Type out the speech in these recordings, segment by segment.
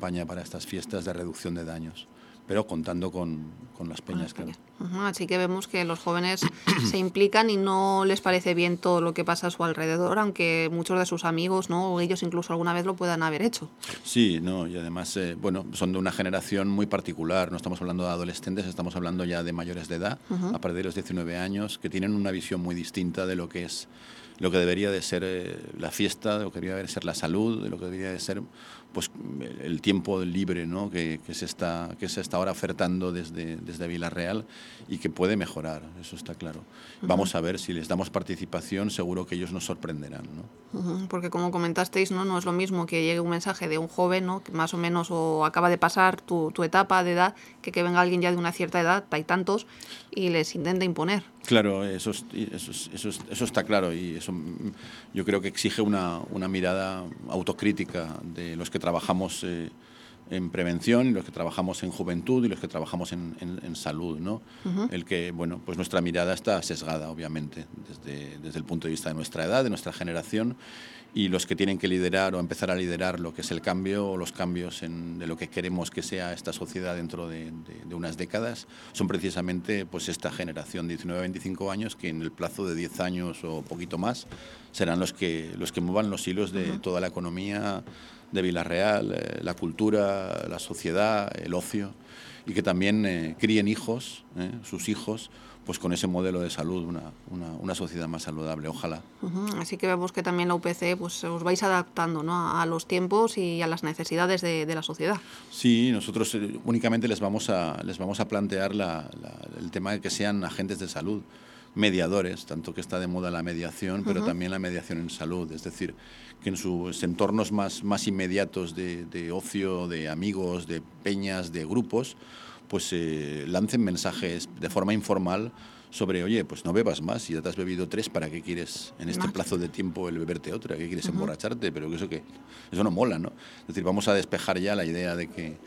campaña para estas fiestas de reducción de daños, pero contando con las peñas, claro. Así que vemos que los jóvenes se implican y no les parece bien todo lo que pasa a su alrededor, aunque muchos de sus amigos, ¿no?, o ellos incluso alguna vez lo puedan haber hecho. Sí, no, y además, son de una generación muy particular. No estamos hablando de adolescentes, estamos hablando ya de mayores de edad, a partir de los 19 años, que tienen una visión muy distinta de lo que debería de ser la fiesta, de lo que debería de ser la salud, de lo que debería de ser pues el tiempo libre, ¿no?, que se está ahora ofertando desde Vila-real y que puede mejorar, eso está claro. Vamos a ver, si les damos participación, seguro que ellos nos sorprenderán, ¿no? Porque como comentasteis, no es lo mismo que llegue un mensaje de un joven, ¿no?, que más o menos o acaba de pasar tu etapa de edad, que venga alguien ya de una cierta edad, hay tantos, y les intenta imponer. Claro, eso está claro, y eso yo creo que exige una mirada autocrítica de los que trabajamos en prevención, y los que trabajamos en juventud y los que trabajamos en salud, ¿no? El que, bueno, pues nuestra mirada está sesgada, obviamente, desde el punto de vista de nuestra edad, de nuestra generación, y los que tienen que liderar o empezar a liderar lo que es el cambio o los cambios de lo que queremos que sea esta sociedad dentro de unas décadas son precisamente pues esta generación de 19-25 años, que en el plazo de 10 años o poquito más serán los que muevan los hilos de toda la economía de Vila-real, la cultura, la sociedad, el ocio, y que también críen hijos, sus hijos, pues con ese modelo de salud, una sociedad más saludable, ojalá. Así que vemos que también la UPC pues os vais adaptando, ¿no?, a los tiempos y a las necesidades de la sociedad. Sí, nosotros únicamente les vamos a plantear el tema de que sean agentes de salud, mediadores, tanto que está de moda la mediación, pero también la mediación en salud, es decir, que en sus entornos más inmediatos de ocio, de amigos, de peñas, de grupos, pues lancen mensajes de forma informal sobre, oye, pues no bebas más, si ya te has bebido 3, ¿para qué quieres en este plazo de tiempo el beberte otra? ¿Qué quieres emborracharte? Pero eso no mola, ¿no? Es decir, vamos a despejar ya la idea de que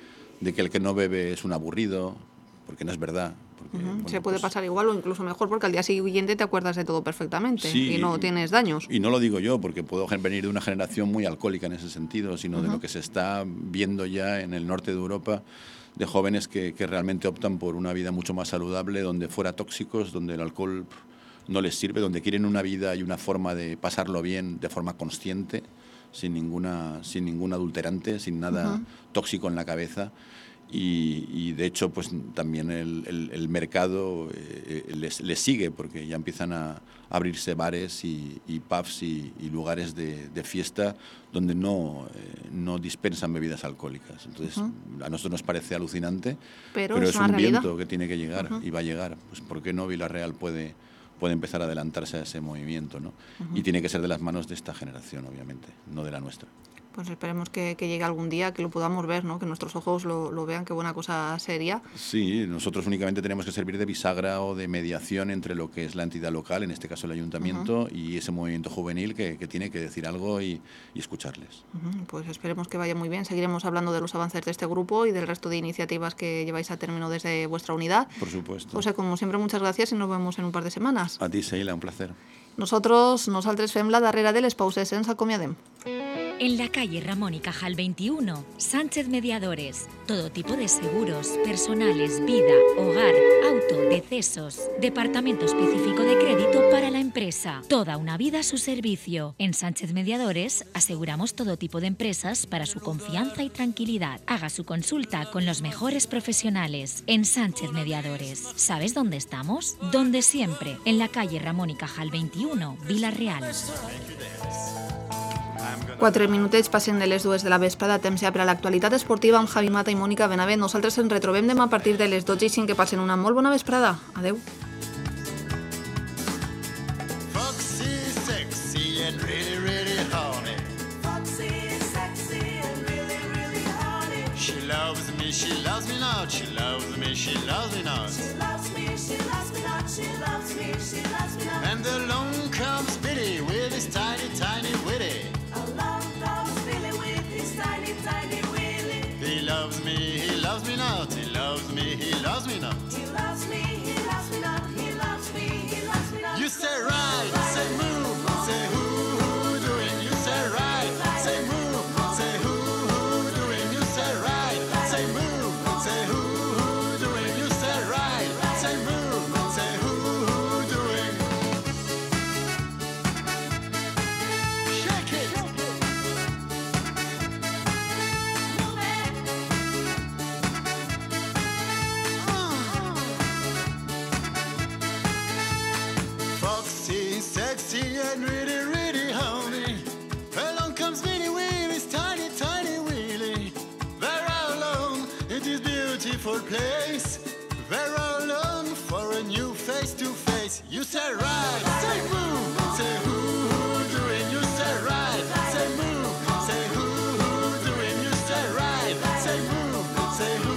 el que no bebe es un aburrido, porque no es verdad. Porque, se puede pasar igual o incluso mejor, porque al día siguiente te acuerdas de todo perfectamente, sí, y no tienes daños. Y no lo digo yo, porque puedo venir de una generación muy alcohólica en ese sentido, sino de lo que se está viendo ya en el norte de Europa, de jóvenes que realmente optan por una vida mucho más saludable, donde fuera tóxicos, donde el alcohol no les sirve, donde quieren una vida y una forma de pasarlo bien de forma consciente, sin ningún adulterante, sin nada tóxico en la cabeza. Y de hecho pues también el mercado les sigue, porque ya empiezan a abrirse bares y pubs y lugares de fiesta donde no dispensan bebidas alcohólicas. Entonces a nosotros nos parece alucinante, pero es un realidad. viento que tiene que llegar y va a llegar. Pues ¿por qué no Vila-real puede empezar a adelantarse a ese movimiento, ¿no? Y tiene que ser de las manos de esta generación, obviamente, no de la nuestra. Pues esperemos que llegue algún día, que lo podamos ver, ¿no?, que nuestros ojos lo vean, qué buena cosa sería. Sí, nosotros únicamente tenemos que servir de bisagra o de mediación entre lo que es la entidad local, en este caso el ayuntamiento, y ese movimiento juvenil que tiene que decir algo y escucharles. Pues esperemos que vaya muy bien. Seguiremos hablando de los avances de este grupo y del resto de iniciativas que lleváis a término desde vuestra unidad. Por supuesto. José, como siempre, muchas gracias y nos vemos en un par de semanas. A ti, Sheila, un placer. Nosaltres fem la darrera de les pauses, ens acomiadem. En la calle Ramón y Cajal 21, Sánchez Mediadores. Todo tipo de seguros, personales, vida, hogar, auto, decesos. Departamento específico de crédito para la empresa. Toda una vida a su servicio. En Sánchez Mediadores aseguramos todo tipo de empresas para su confianza y tranquilidad. Haga su consulta con los mejores profesionales. En Sánchez Mediadores. ¿Sabes dónde estamos? Donde siempre. En la calle Ramón y Cajal 21, Vila-real. 4 minutets passen de les 2 de la vesprada, temps ja per a l'actualitat esportiva amb Javi Mata i Mònica Benavent. Nosaltres ens retrobem demà a partir de les 12:05. Que passen una molt bona vesprada. Adeu. Foxy, sexy and really, really horny. Foxy, sexy and really, really horny. She loves me not. She loves me, she loves me not. She loves me, she loves me not. She loves me, she loves me not. And along comes Billy with his tiny, tiny witty. Along comes Billy with his tiny, tiny willy. He loves me not. He loves me, he loves me not. He loves me, he loves me not. He loves me, he loves me not. You say right, say move, say who doing. You say right, say move, say who doing. You say right. and really, really horny. Along comes Winnie Willie's tiny, tiny Willie. They're all alone in this beautiful place. They're all alone for a new face to face. You say right, say move, say who doing. You say right, say move, say who doing. You say right, say move, say who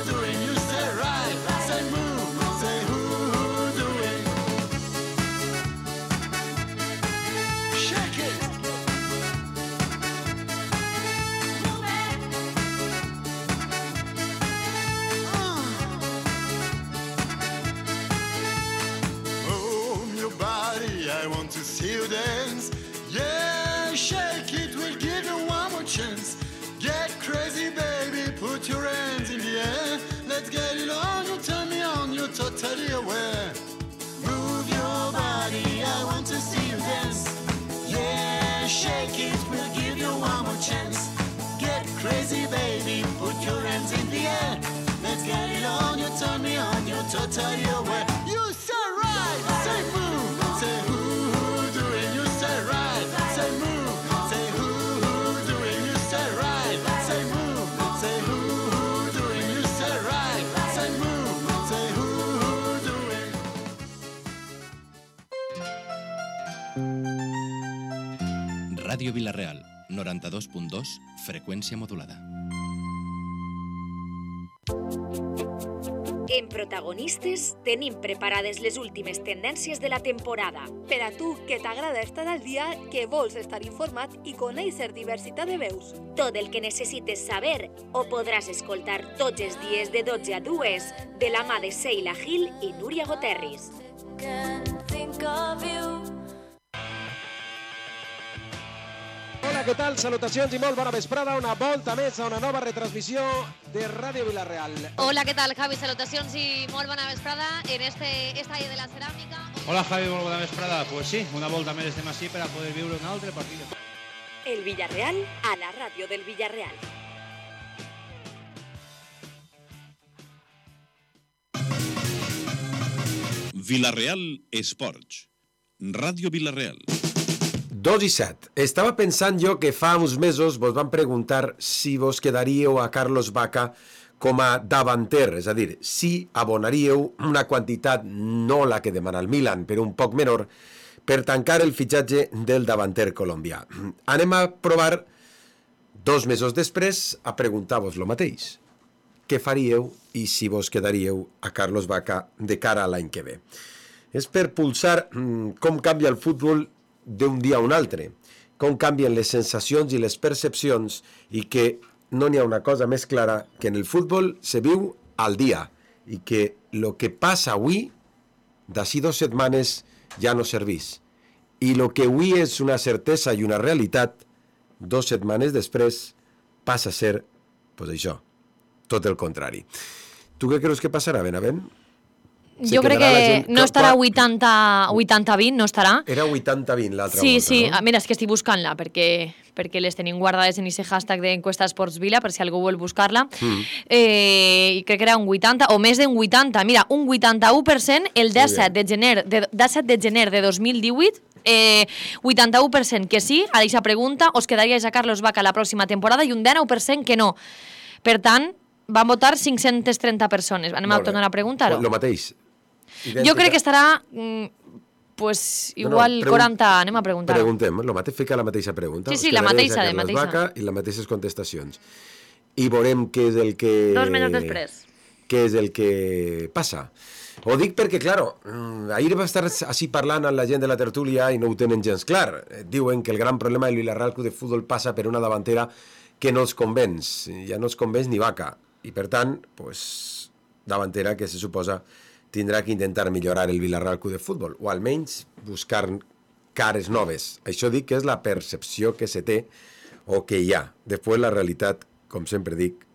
doing. You say right, say move, say who doing. Shake it. Move your body, I want to see you dance. Yeah, shake it, we'll give you one more chance. Get crazy, baby, put your hands in the air. Let's get it on, you turn me on, you're totally aware. Move your body, I want to see you dance. Yeah, shake it, we'll give you one more chance. Get crazy, baby, put your hands in the air. Let's get it on, you turn me on, you're totally aware. You say right, say move, say who doing. You say right, say move, say who doing. You say right, say move, say who doing. You say right, say move, say who doing. Ràdio Vila-real, 92.2, freqüència modulada. En Protagonistes tenim preparades les últimes tendències de la temporada. Per a tu, que t'agrada estar al dia, que vols estar informat i conèixer diversitat de veus. Tot el que necessites saber ho podràs escoltar tots els dies de 12 a 2 de la mà de Sheila Gil i Núria Goterris. Hola, què tal? Salutacions i molt bona vesprada. Una volta més a una nova retransmissió de Ràdio Vila-real. Hola, ¿qué tal, Javi? Salutacions i molt bona vesprada en este estadi de la ceràmica. Hola, Javi, molt bona vesprada. Pues sí, una volta més estem així per a poder viure un altre partit. El Villarreal a la ràdio del Villarreal. Vila-real Esports. Ràdio Vila-real. 2:07. Estava pensant jo que fa uns mesos vos van preguntar si vos quedaríeu a Carlos Vaca com a davanter, és a dir, si abonaríeu una quantitat, no la que demana el Milan, però un poc menor, per tancar el fitxatge del davanter colombià. Anem a provar, 2 mesos després, a preguntar-vos lo mateix. Què faríeu i si vos quedaríeu a Carlos Vaca de cara a l'any que ve? És per pulsar com canvia el futbol d'un dia a un altre, com canvien les sensacions i les percepcions i que no n'hi ha una cosa més clara que en el futbol se viu al dia i que el que passa avui, d'ací 2 setmanes, ja no serveix. I el que avui és una certesa i una realitat, 2 setmanes després passa a ser, pues això, tot el contrari. Tu què creus que passarà, Benavent? Jo crec que no estarà 80-20, no estarà. Era 80-20 l'altra volta, sí, no? Mira, és que estic buscant-la, perquè les tenim guardades en aquest hashtag d'Encuesta Esports Vila, per si algú vol buscar-la. I crec que era un 80, o més d'un 80. Mira, un 81% el 17 de gener de 2018, 81% que sí, a aquesta pregunta, us quedaríais a Carlos Vaca la pròxima temporada, i un 19% que no. Per tant, van votar 530 persones. Anem a tornar a preguntar-ho. Lo mateix. Jo crec que estarà igual 40, anem a preguntar-ho. Preguntem, lo mateix, fica la mateixa pregunta. Sí, la mateixa, de mateixa. Vaca i les mateixes contestacions. I veurem què és el que... 2 mesos després. Què és el que passa. Ho dic perquè, claro, ahir va estar així parlant amb la gent de la tertúlia i no ho tenen gens clar. Diuen que el gran problema del Villarreal Club de Futbol passa per una davantera que no els convenç. Ja no els convenç ni Vaca. I per tant, pues, davantera que se suposa tindrà que intentar millorar el Villarreal Club de Futbol, o almenys buscar cares noves. Això dic que és la percepció que se té o que hi ha. Després la realitat, com sempre dic,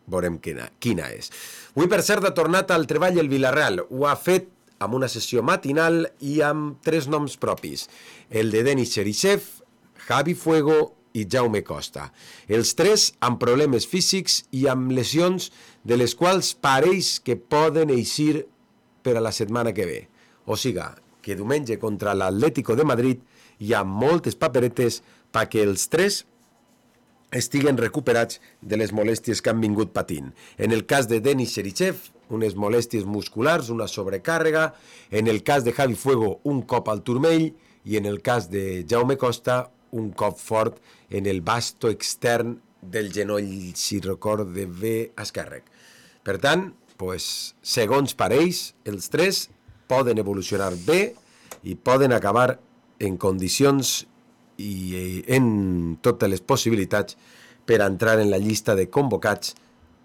veurem quina és. Avui, per cert, ha tornat al treball el Villarreal. Ho ha fet amb una sessió matinal i amb 3 noms propis. El de Denis Cherisev, Javi Fuego i Jaume Costa. Els 3 amb problemes físics i amb lesions de les quals pareix que poden eixir per a la setmana que ve. O siga, que diumenge contra l'Atlético de Madrid hi ha moltes paperetes perquè els 3 estiguen recuperats de les molèsties que han vingut patint. En el cas de Denis Cherichev, unes molèsties musculars, una sobrecàrrega. En el cas de Javi Fuego, un cop al turmell. I en el cas de Jaume Costa, un cop fort en el basto extern del genoll, si recorde bé, esquerre. Per tant, segons pareix, els 3 poden evolucionar bé i poden acabar en condicions i en totes les possibilitats per entrar en la llista de convocats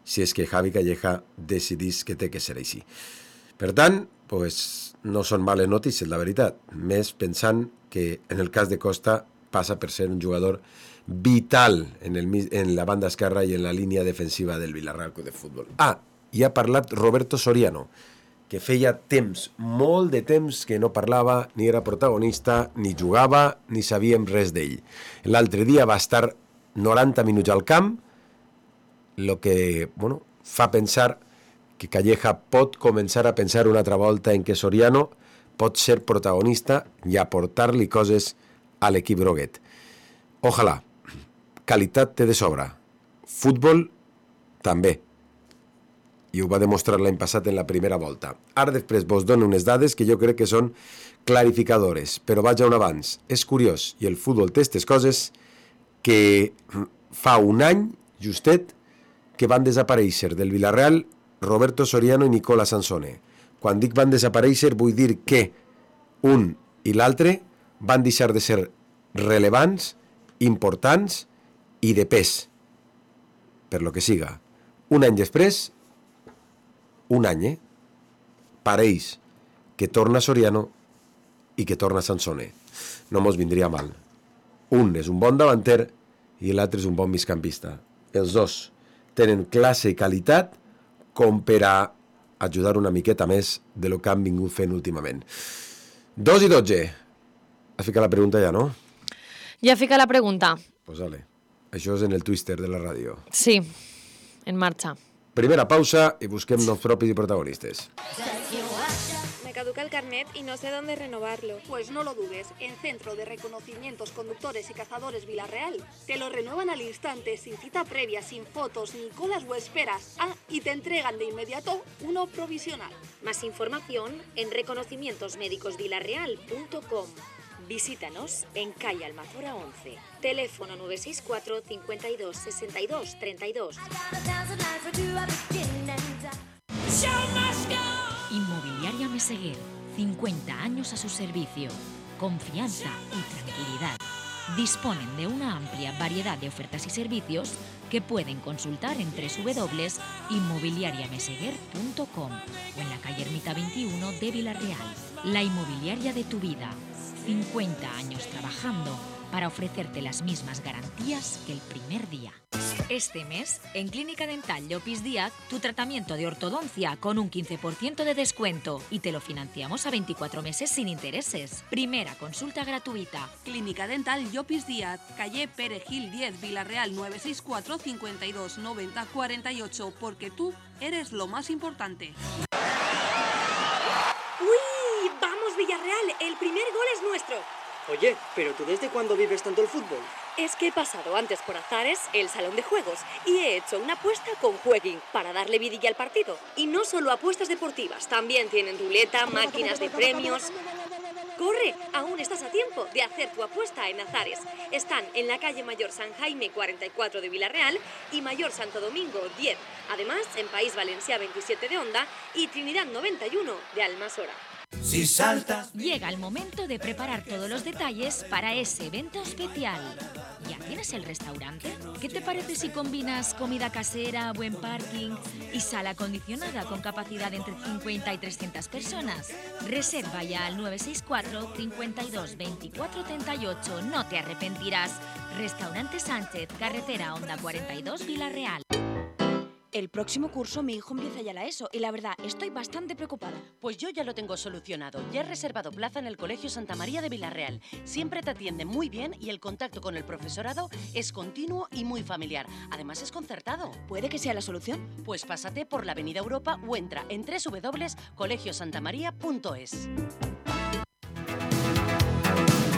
si és que Javi Calleja decidís que té que ser així. Per tant, no són males notícies, la veritat, més pensant que en el cas de Costa passa per ser un jugador vital en la banda esquerra i en la línia defensiva del Villarreal Club de Futbol. I ha parlat Roberto Soriano, que feia temps, molt de temps, que no parlava, ni era protagonista, ni jugava, ni sabíem res d'ell. L'altre dia va estar 90 minuts al camp, el que fa pensar que Calleja pot començar a pensar una altra volta en que Soriano pot ser protagonista i aportar-li coses a l'equip groguet. Ojalà. Qualitat té de sobra. Futbol també. I ho va demostrar l'any passat en la primera volta. Ara després vos dono unes dades que jo crec que són clarificadores, però vaig a un abans. És curiós, i el futbol té aquestes coses, que fa un any, justet, que van desaparèixer del Villarreal Roberto Soriano i Nicola Sansone. Quan dic van desaparèixer vull dir que un i l'altre van deixar de ser relevants, importants i de pes, per lo que siga. Un any després, pareix que torna Soriano i que torna Sansone. No mos vindria mal. Un és un bon davanter i l'altre és un bon migcampista. Els dos tenen classe i qualitat com per a ajudar una miqueta més de lo que han vingut fent últimament. 2:12. Has ficat la pregunta ja, no? Ja fica la pregunta. Pues vale. Això és en el Twister de la ràdio. Sí, en marxa. Primera pausa y busquem noms propis y protagonistas. Me caduca el carnet y no sé dónde renovarlo. Pues no lo dudes, en Centro de Reconocimientos Conductores y Cazadores Villarreal te lo renuevan al instante, sin cita previa, sin fotos, ni colas o esperas. Y te entregan de inmediato uno provisional. Más información en reconocimientosmédicosvillarreal.com. Visítanos en calle Almazora 11. Teléfono 964 52 62 32. Inmobiliaria Meseguer. 50 años a su servicio. Confianza y tranquilidad. Disponen de una amplia variedad de ofertas y servicios que pueden consultar en www.inmobiliariameseguer.com o en la calle Ermita 21 de Villarreal. La inmobiliaria de tu vida. 50 años trabajando para ofrecerte las mismas garantías que el primer día. Este mes, en Clínica Dental Llopis Díaz, tu tratamiento de ortodoncia con un 15% de descuento y te lo financiamos a 24 meses sin intereses. Primera consulta gratuita. Clínica Dental Llopis Díaz, calle Perejil 10, Villarreal 964 52 90 48, porque tú eres lo más importante. ¡Uy! ¡Vamos, Villarreal! El primer gol es nuestro. Oye, ¿pero tú desde cuándo vives tanto el fútbol? Es que he pasado antes por Azares, el salón de juegos, y he hecho una apuesta con Jueguin para darle vidilla al partido. Y no solo apuestas deportivas, también tienen ruleta, máquinas de premios. ¡Corre! Aún estás a tiempo de hacer tu apuesta en Azares. Están en la calle Mayor San Jaime 44 de Villarreal y Mayor Santo Domingo 10. Además, en País Valencià 27 de Onda y Trinidad 91 de Almasora. Si saltas... Llega el momento de preparar todos los detalles para ese evento especial. ¿Ya tienes el restaurante? ¿Qué te parece si combinas comida casera, buen parking y sala acondicionada con capacidad de entre 50 y 300 personas? Reserva ya al 964 52 24 38. No te arrepentirás. Restaurante Sánchez, carretera Onda 42, Villarreal. El próximo curso mi hijo empieza ya la ESO y la verdad estoy bastante preocupada. Pues yo ya lo tengo solucionado. Ya he reservado plaza en el Colegio Santa María de Villarreal. Siempre te atienden muy bien y el contacto con el profesorado es continuo y muy familiar. Además es concertado. ¿Puede que sea la solución? Pues pásate por la Avenida Europa o entra en www.colegiosantamaria.es.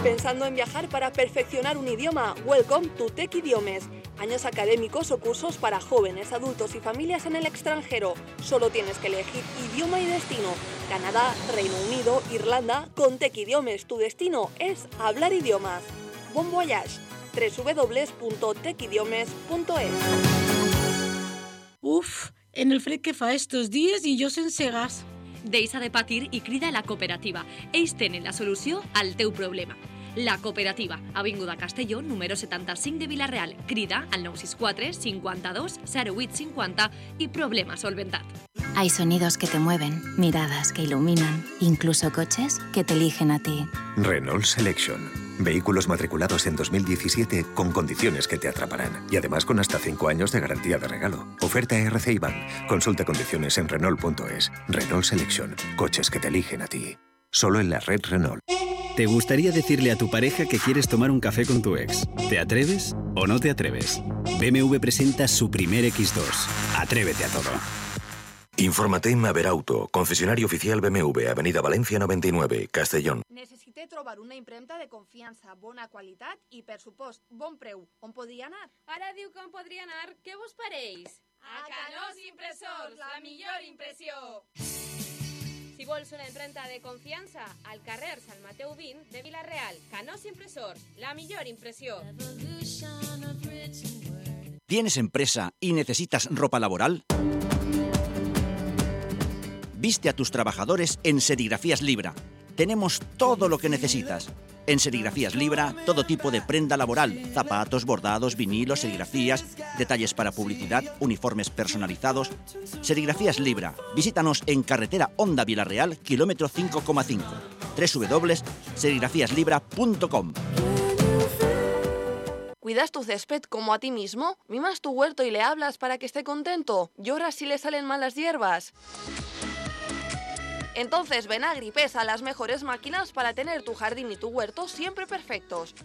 ¿Pensando en viajar para perfeccionar un idioma? Welcome to Tech Idiomes. Años académicos o cursos para jóvenes, adultos y familias en el extranjero. Solo tienes que elegir idioma y destino. Canadá, Reino Unido, Irlanda. Con Tech Idiomes tu destino es hablar idiomas. Bon voyage. www.techidiomes.es. Uf, en el fred que fa estos dies i jo sense gas. Deixa de patir i crida a la cooperativa. Ells tenen la solució al teu problema. La Cooperativa, Avinguda Castelló, número 75 de Vila-real. Crida al 964 52 08 50 y problema solventat. Hay sonidos que te mueven, miradas que iluminan, incluso coches que te eligen a ti. Renault Selection. Vehículos matriculados en 2017 con condiciones que te atraparán. Y además con hasta 5 años de garantía de regalo. Oferta RC Bank. Consulta condiciones en Renault.es. Renault Selection. Coches que te eligen a ti. Solo en la red Renault. ¿Te gustaría decirle a tu pareja que quieres tomar un café con tu ex? ¿Te atreves o no te atreves? BMW presenta su primer X2. Atrévete a todo. Infórmate en Maverauto, concesionario oficial BMW, Avenida Valencia 99, Castellón. Necessité trobar una impremta de confiança, bona qualitat i, per supost, bon preu. On podria anar? Ara diu que on podria anar. Què vos pareix? A Canós Impressors, la millor impressió. Si vols una impremta de confiança, al carrer Sant Mateu 20 de Vila-real. Canós Impressors, la millor impressió. ¿Tienes empresa y necesitas ropa laboral? Viste a tus trabajadores en Serigrafías Libra. Tenemos todo lo que necesitas. En Serigrafías Libra, todo tipo de prenda laboral, zapatos, bordados, vinilos, serigrafías, detalles para publicidad, uniformes personalizados. Serigrafías Libra. Visítanos en carretera Honda Vila-real, kilómetro 5,5. www.serigrafiaslibra.com. ¿Cuidas tu césped como a ti mismo? ¿Mimas tu huerto y le hablas para que esté contento? ¿Lloras si le salen malas hierbas? Entonces ven a Agripesa, las mejores máquinas para tener tu jardín y tu huerto siempre perfectos.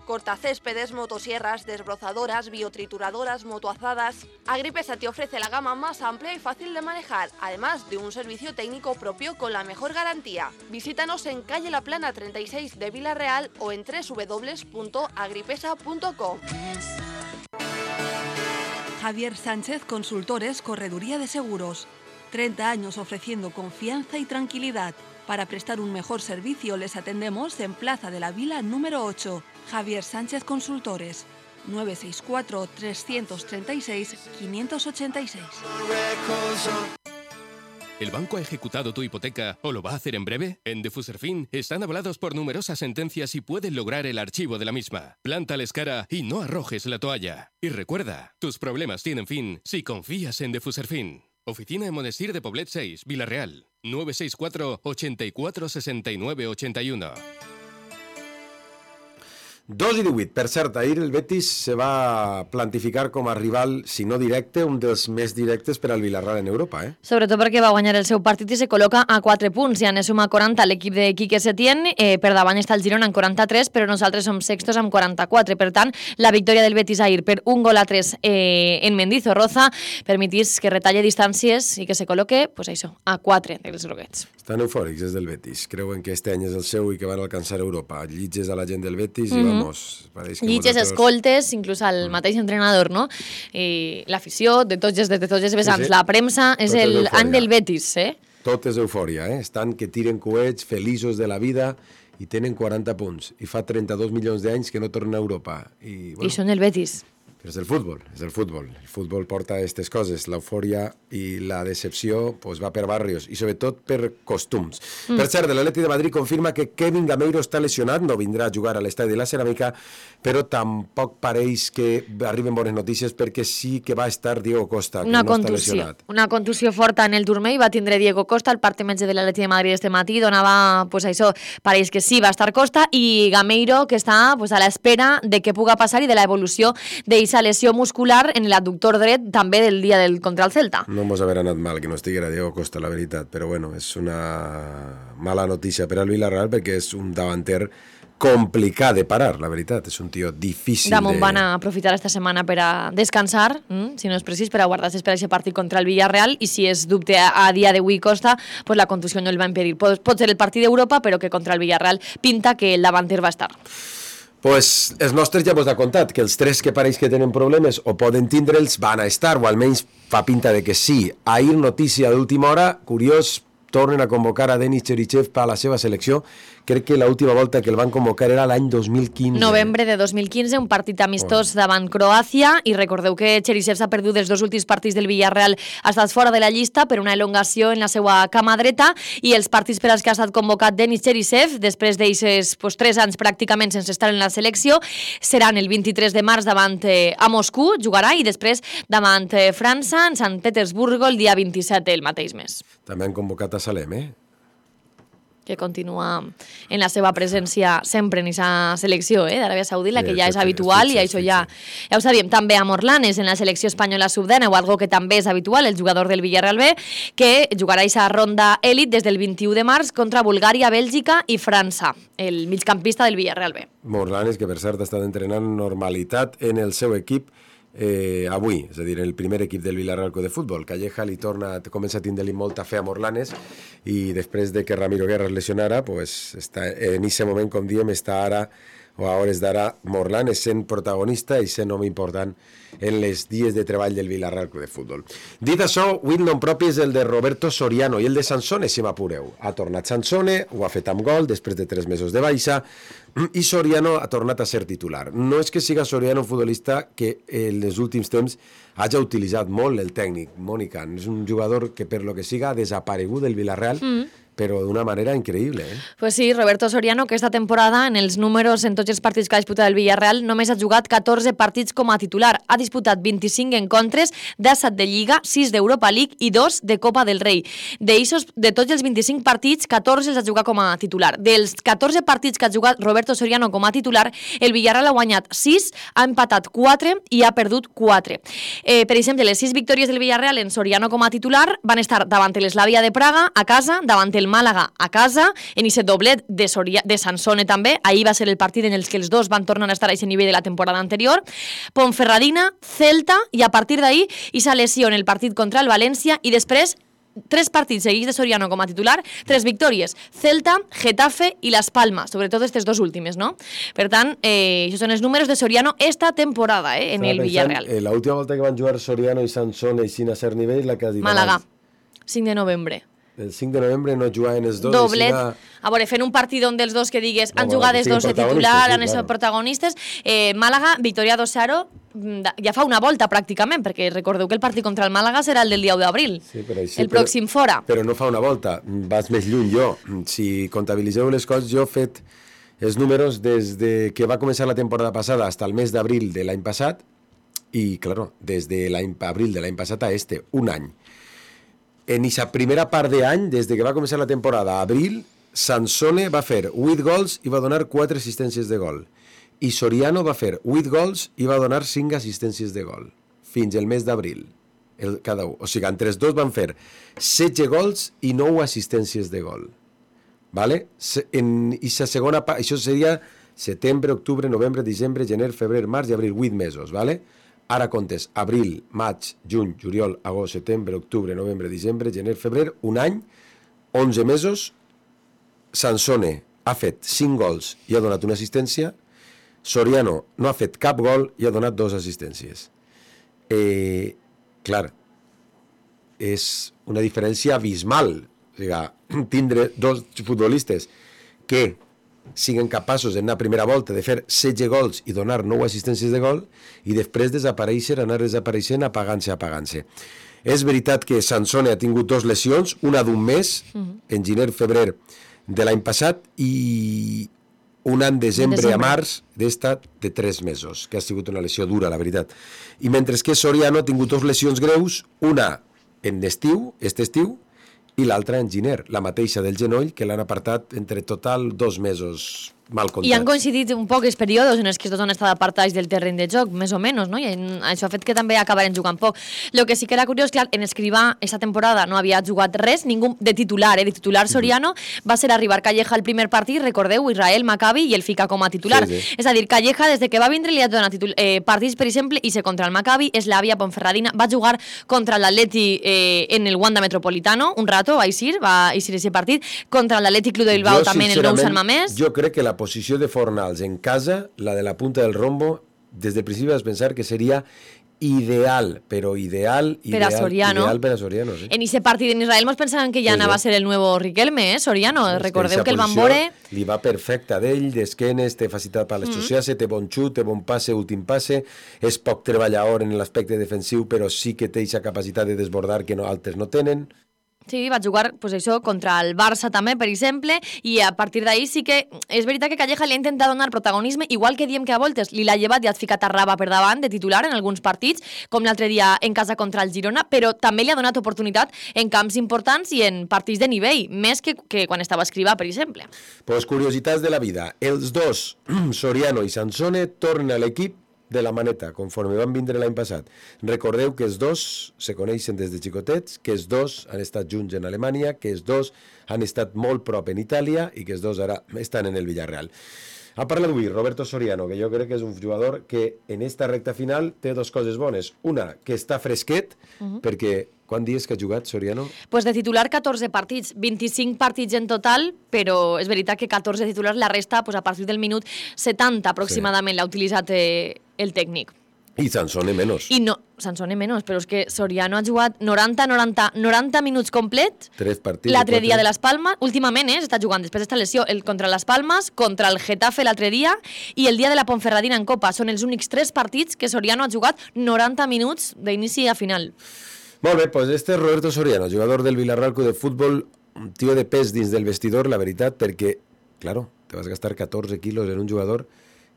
Cortacéspedes, motosierras, desbrozadoras, biotrituradoras, motoazadas. Agripesa te ofrece la gama más amplia y fácil de manejar, además de un servicio técnico propio con la mejor garantía. Visítanos en calle La Plana 36 de Vila-real o en www.agripesa.com. Javier Sánchez Consultores, Correduría de Seguros. 30 años ofreciendo confianza y tranquilidad. Para prestar un mejor servicio les atendemos en Plaza de la Vila número 8. Javier Sánchez Consultores. 964-336-586. ¿El banco ha ejecutado tu hipoteca o lo va a hacer en breve? En Defuserfin están avalados por numerosas sentencias y pueden lograr el archivo de la misma. Plántales cara y no arrojes la toalla. Y recuerda, tus problemas tienen fin si confías en Defuserfin. Oficina en Monestir de Poblet 6, Vila-real. 964 84 69 81. 2-18. Per cert, ahir el Betis se va plantificar com a rival, si no directe, un dels més directes per al Villarreal en Europa. Sobretot perquè va guanyar el seu partit i se col·loca a 4 punts. Ja ne suma 40 l'equip de Quique Setién. Per davant està el Girona en 43, però nosaltres som sextos amb 44. Per tant, la victòria del Betis ahir per 1-3 en Mendizorroza permetís que retalle distàncies i que se col·loque, pues això, a 4 dels groguets. Estan eufòrics des del Betis. Creuen que este any és el seu i que van alcançar Europa. Llitges a la gent del Betis i vamos... Llitges, escoltes, inclús al mateix entrenador, no? L'afició, de tots els vessants, sí. La premsa, és l'any del Betis, Tot és eufòria, Estan que tiren coets, feliços de la vida i tenen 40 punts. I fa 32 milions d'anys que no tornen a Europa. I són el Betis. Però és el futbol, El futbol porta aquestes coses. L'eufòria i la decepció pues, va per barrios i sobretot per costums. Per cert, l'Atleti de Madrid confirma que Kevin Gameiro està lesionat, no vindrà a jugar a l'Estadi de la Ceràmica, però tampoc pareix que arriben bones notícies perquè sí que va estar Diego Costa, que no està lesionat. Una contusió forta en el turmell va tindre Diego Costa, el part metge de l'Atleti de Madrid este matí, donava, pues això, pareix que sí, va estar Costa, i Gameiro, que està pues, a l'espera de què puga passar i de l'evolució d'eixa lesió muscular en l'adductor dret també del dia contra el Celta. No mos haver anat mal que no estiguera Diego Costa, la veritat, però bueno, és una mala notícia per al Villarreal perquè és un davanter complicat de parar, la veritat. És un tio difícil Damunt van a aprofitar esta setmana per a descansar, si no és precís, per a guardar-se per a aquest partit contra el Villarreal, i si és dubte a dia d'avui Costa, pues la contusió no el va impedir. Pot ser el partit d'Europa, però que contra el Villarreal pinta que el davanter va estar. Pues els nostres ja vos ha contat que els 3 que pareix que tenen problemes o poden tindre'ls van a estar, o almenys fa pinta de que sí. Ahir, notícia d'última hora, curiós, tornen a convocar a Denis Cherichev per a la seva selecció. Crec que l'última volta que el van convocar era l'any 2015. Novembre de 2015, un partit amistós davant Croàcia, i recordeu que Cherichev s'ha perdut els 2 últims partits del Villarreal, ha estat fora de la llista per una elongació en la seva cama dreta, i els partits per als que ha estat convocat Denis Cherichev, després d'eixes 3 anys pràcticament sense estar en la selecció, seran el 23 de març davant a Moscou, jugarà, i després davant França, en Sant Petersburgo, el dia 27 el mateix mes. També han convocat a Salem, que continua en la seva presència sempre en aquesta selecció d'Aràbia Saudita, que ja és habitual, i això ja ho sabíem. També a Morlanes, en la selecció espanyola sub-10, o algo que també és habitual, el jugador del Villarreal B, que jugarà aquesta ronda èlit des del 21 de març contra Bulgària, Bèlgica i França, el migcampista del Villarreal B. Morlanes, que per cert ha estat entrenant normalitat en el seu equip avui, és a dir, el primer equip del Villarreal de futbol. Calleja li comença a tindre-li molta fe a Morlanes, i després de que Ramiro Guerra es lesionara, pues, en aquest moment, com diem, està ara, o a hores d'ara, Morlanes sent protagonista i sent home important en les dies de treball del Villarreal de futbol. Dit això, avui el nom propi és el de Roberto Soriano i el de Sansone, si m'apureu. Ha tornat Sansone, ho ha fet amb gol després de 3 mesos de baixa, i Soriano ha tornat a ser titular. No és que siga Soriano un futbolista que en els últims temps hagi utilitzat molt el tècnic, Mònica. És un jugador que, per lo que siga, ha desaparegut del Villarreal, però d'una manera increïble. Pues sí, Roberto Soriano, que esta temporada, en els números en tots els partits que ha disputat el Villarreal, només ha jugat 14 partits com a titular. Ha disputat 25 encontres, 17 de Lliga, 6 d'Europa League i 2 de Copa del Rei. De tots els 25 partits, 14 els ha jugat com a titular. Dels 14 partits que ha jugat Roberto Soriano com a titular, el Villarreal ha guanyat 6, ha empatat 4 i ha perdut 4. Per exemple, les 6 victòries del Villarreal en Soriano com a titular van estar davant l'Slavia de Praga, a casa, davant el Màlaga a casa, en aquest doblet de Sansone també. Ahir va ser el partit en el que els dos van tornar a estar a aquest nivell de la temporada anterior. Ponferradina, Celta, i a partir d'ahir aquesta lesió en el partit contra el València, i després 3 partits seguits de Soriano com a titular, 3 victòries: Celta, Getafe i Las Palmas, sobretot aquestes 2 últimes, no? Per tant, això són els números de Soriano esta temporada en el Villarreal. L'última volta que van jugar Soriano i Sansone i sin a ser nivell, la que has dit Màlaga, 5 de novembre. El 5 de novembre no jugaven els dos. Doblet. A veure, fent un partit on dels dos que digues han jugat els dos de titular, han estat protagonistes. Màlaga, victòria 2-0, ja fa una volta pràcticament, perquè recordeu que el partit contra el Màlaga serà el del dia 1 d'abril, el pròxim fora. Però no fa una volta, vas més lluny jo. Si comptabilitzeu les coses, jo he fet els números des de que va començar la temporada passada fins al mes d'abril de l'any passat, i, claro, des de l'abril de l'any passat a un any. En aquesta primera part d'any, des que va començar la temporada a abril, Sansone va fer 8 gols i va donar 4 assistències de gol. I Soriano va fer 8 gols i va donar 5 assistències de gol. Fins el mes d'abril, cada un. O sigui, entre els dos van fer 16 gols i 9 assistències de gol. Vale? En aquesta segona part, això seria setembre, octubre, novembre, desembre, gener, febrer, març i abril, 8 mesos, vale? Ara comptes abril, maig, juny, juliol, agost, setembre, octubre, novembre, desembre, gener, febrer, un any, 11 mesos. Sansone ha fet 5 gols i ha donat una assistència. Soriano no ha fet cap gol i ha donat 2 assistències. Clar, és una diferència abismal. O sigui, tindre 2 futbolistes que siguin capaços en una primera volta de fer 16 gols i donar 9 assistències de gol, i després desaparèixer, anar desapareixent, apagant-se. És veritat que Sansone ha tingut 2 lesions, una d'un mes, en gener-febrer de l'any passat, i una en desembre a març d'esta de 3 mesos, que ha sigut una lesió dura, la veritat. I mentre que Soriano ha tingut 2 lesions greus, una en estiu, i l'altra en gener, la mateixa del genoll, que l'han apartat entre total 2 mesos mal comptats. I han coincidit un poc els períodes en els que tots han estat apartats del terreny de joc, més o menys, no? I això ha fet que també acabaren jugant poc. Lo que sí que era curiós, clar, en Escrivà aquesta temporada no havia jugat res, ningú de titular, de titular Soriano, va ser arribar Calleja al primer partit, recordeu, Israel, Maccabi, i el fica com a titular. Sí. És a dir, Calleja, des de que va vindre, li ha donat partits, per exemple, i se contra el Maccabi, Slavia, Ponferradina, va jugar contra l'Atleti en el Wanda Metropolitano, un rato, va eixir ese partit, contra l'Atlètic Club de Bilbao també en el Nou Sant Mamés. Jo crec que la posició de Fornals en casa, la de la punta del rombo, des del principi vas pensar que seria ideal, però ideal per a Soriano. Ideal per a Soriano, sí. En aquest partit en Israel mos pensaven que ja anava a ser el nuevo Riquelme, Soriano. Recordeu que el van veure... Li va perfecte d'ell, d'esquenes, té facilitat per l'associar-se, té bon xut, té bon passe, últim passe, és poc treballador en l'aspecte defensiu, però sí que té aquesta capacitat de desbordar que altres no tenen. Sí, va jugar pues això, contra el Barça també, per exemple, i a partir d'ahí sí que és veritat que Calleja li ha intentat donar protagonisme, igual que diem que a voltes li l'ha llevat i ha ficat a Raba per davant de titular en alguns partits, com l'altre dia en casa contra el Girona, però també li ha donat oportunitat en camps importants i en partits de nivell, més que quan estava a Escrivà, per exemple. Pues curiositats de la vida. Els dos, Soriano i Sansone, tornen a l'equip de la maneta, conforme van vindre l'any passat. Recordeu que els dos se coneixen des de xicotets, que els dos han estat junts en Alemanya, que els dos han estat molt prop en Itàlia i que els dos ara estan en el Villarreal. Ha parlat avui Roberto Soriano, que jo crec que és un jugador que en esta recta final té dues coses bones. Una, que està fresquet, perquè quants dies que ha jugat Soriano? Pues de titular 14 partits, 25 partits en total, però és veritat que 14 titulars, la resta pues a partir del minut 70 aproximadament l'ha utilitzat el tècnic. I Sansone menys. I no, Sansone menys, però és que Soriano ha jugat 90 minuts complet. 3 partits. L'altre dia de les Palmes, últimament està jugant després d'esta lesió contra les Palmes, contra el Getafe l'altre dia i el dia de la Ponferradina en Copa. Són els únics 3 partits que Soriano ha jugat 90 minuts d'inici a final. Molt bé, doncs este és Roberto Soriano, jugador del Villarreal Club de Futbol, un tio de pes dins del vestidor, la veritat, perquè, claro, te vas gastar 14 quilos en un jugador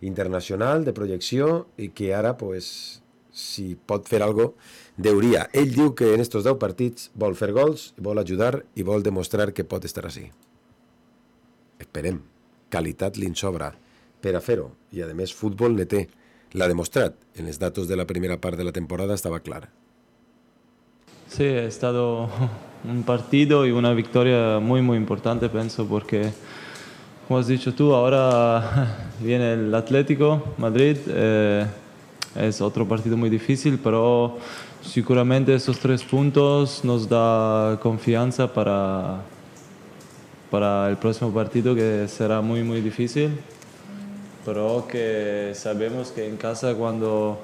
internacional, de projecció, i que ara, pues, si pot fer algo, deuria. Ell diu que en estos 10 partits vol fer gols, vol ajudar i vol demostrar que pot estar així. Esperem. Qualitat li'n sobra per a fer-ho. I, a més, futbol ne té. L'ha demostrat. En els datos de la primera part de la temporada estava clar. Sí, ha estado un partido y una victoria muy, muy importante, pienso, porque... Como has dicho tú, ahora viene el Atlético Madrid, es otro partido muy difícil, pero seguramente esos 3 puntos nos da confianza para el próximo partido, que será muy, muy difícil, pero que sabemos que en casa cuando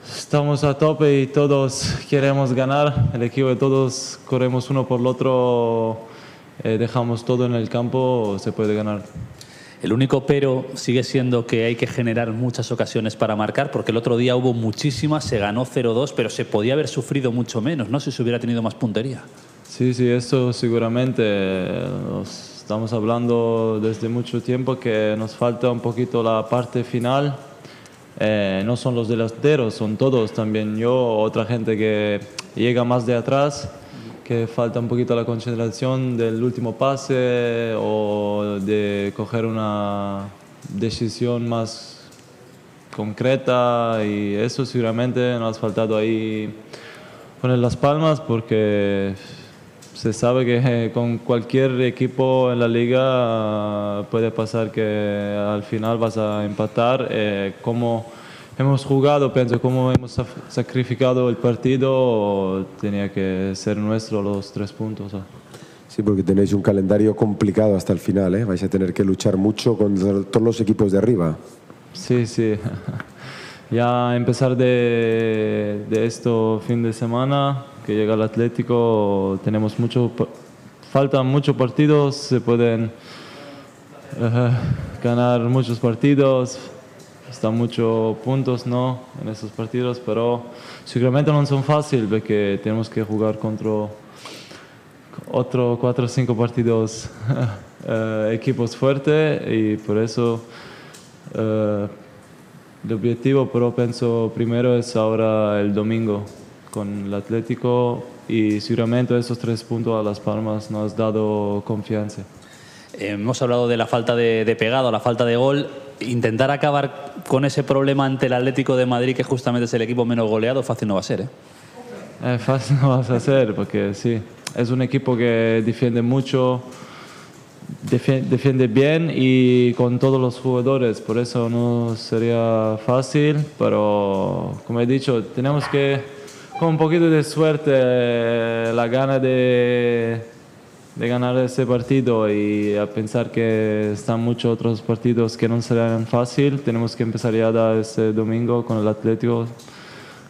estamos a tope y todos queremos ganar, el equipo de todos corremos uno por el otro, dejamos todo en el campo, se puede ganar. El único pero sigue siendo que hay que generar muchas ocasiones para marcar, porque el otro día hubo muchísimas, se ganó 0-2, pero se podía haber sufrido mucho menos, ¿no? Si se hubiera tenido más puntería. Sí, eso seguramente. Estamos hablando desde mucho tiempo que nos falta un poquito la parte final. No son los delanteros, son todos, también yo, otra gente que llega más de atrás, que falta un poquito la concentración del último pase o de coger una decisión más concreta, y eso seguramente nos ha faltado ahí poner las palmas, porque se sabe que con cualquier equipo en la liga puede pasar que al final vas a empatar. Como hemos jugado, pienso, como hemos sacrificado el partido, tenía que ser nuestro los 3 puntos. Sí, porque tenéis un calendario complicado hasta el final, ¿eh? Vais a tener que luchar mucho con todos los equipos de arriba. Sí. Ya empezar de esto fin de semana, que llega el Atlético, tenemos faltan muchos partidos, se pueden ganar muchos partidos. Están muchos puntos, ¿no?, en esos partidos, pero seguramente no son fáciles, porque tenemos que jugar contra otros 4 o 5 partidos equipos fuertes, y por eso el objetivo, pero pienso primero, es ahora el domingo con el Atlético, y seguramente esos 3 puntos a Las Palmas nos han dado confianza. Hemos hablado de la falta de pegado, la falta de gol. Intentar acabar con ese problema ante el Atlético de Madrid, que justamente es el equipo menos goleado, fácil no va a ser, ¿eh? Fácil no va a ser, porque sí, es un equipo que defiende mucho, defiende bien y con todos los jugadores, por eso no sería fácil, pero como he dicho, tenemos que, con un poquito de suerte, la gana de ganar ese partido y a pensar que están muchos otros partidos que no serán fácil, tenemos que empezar ya este domingo con el Atlético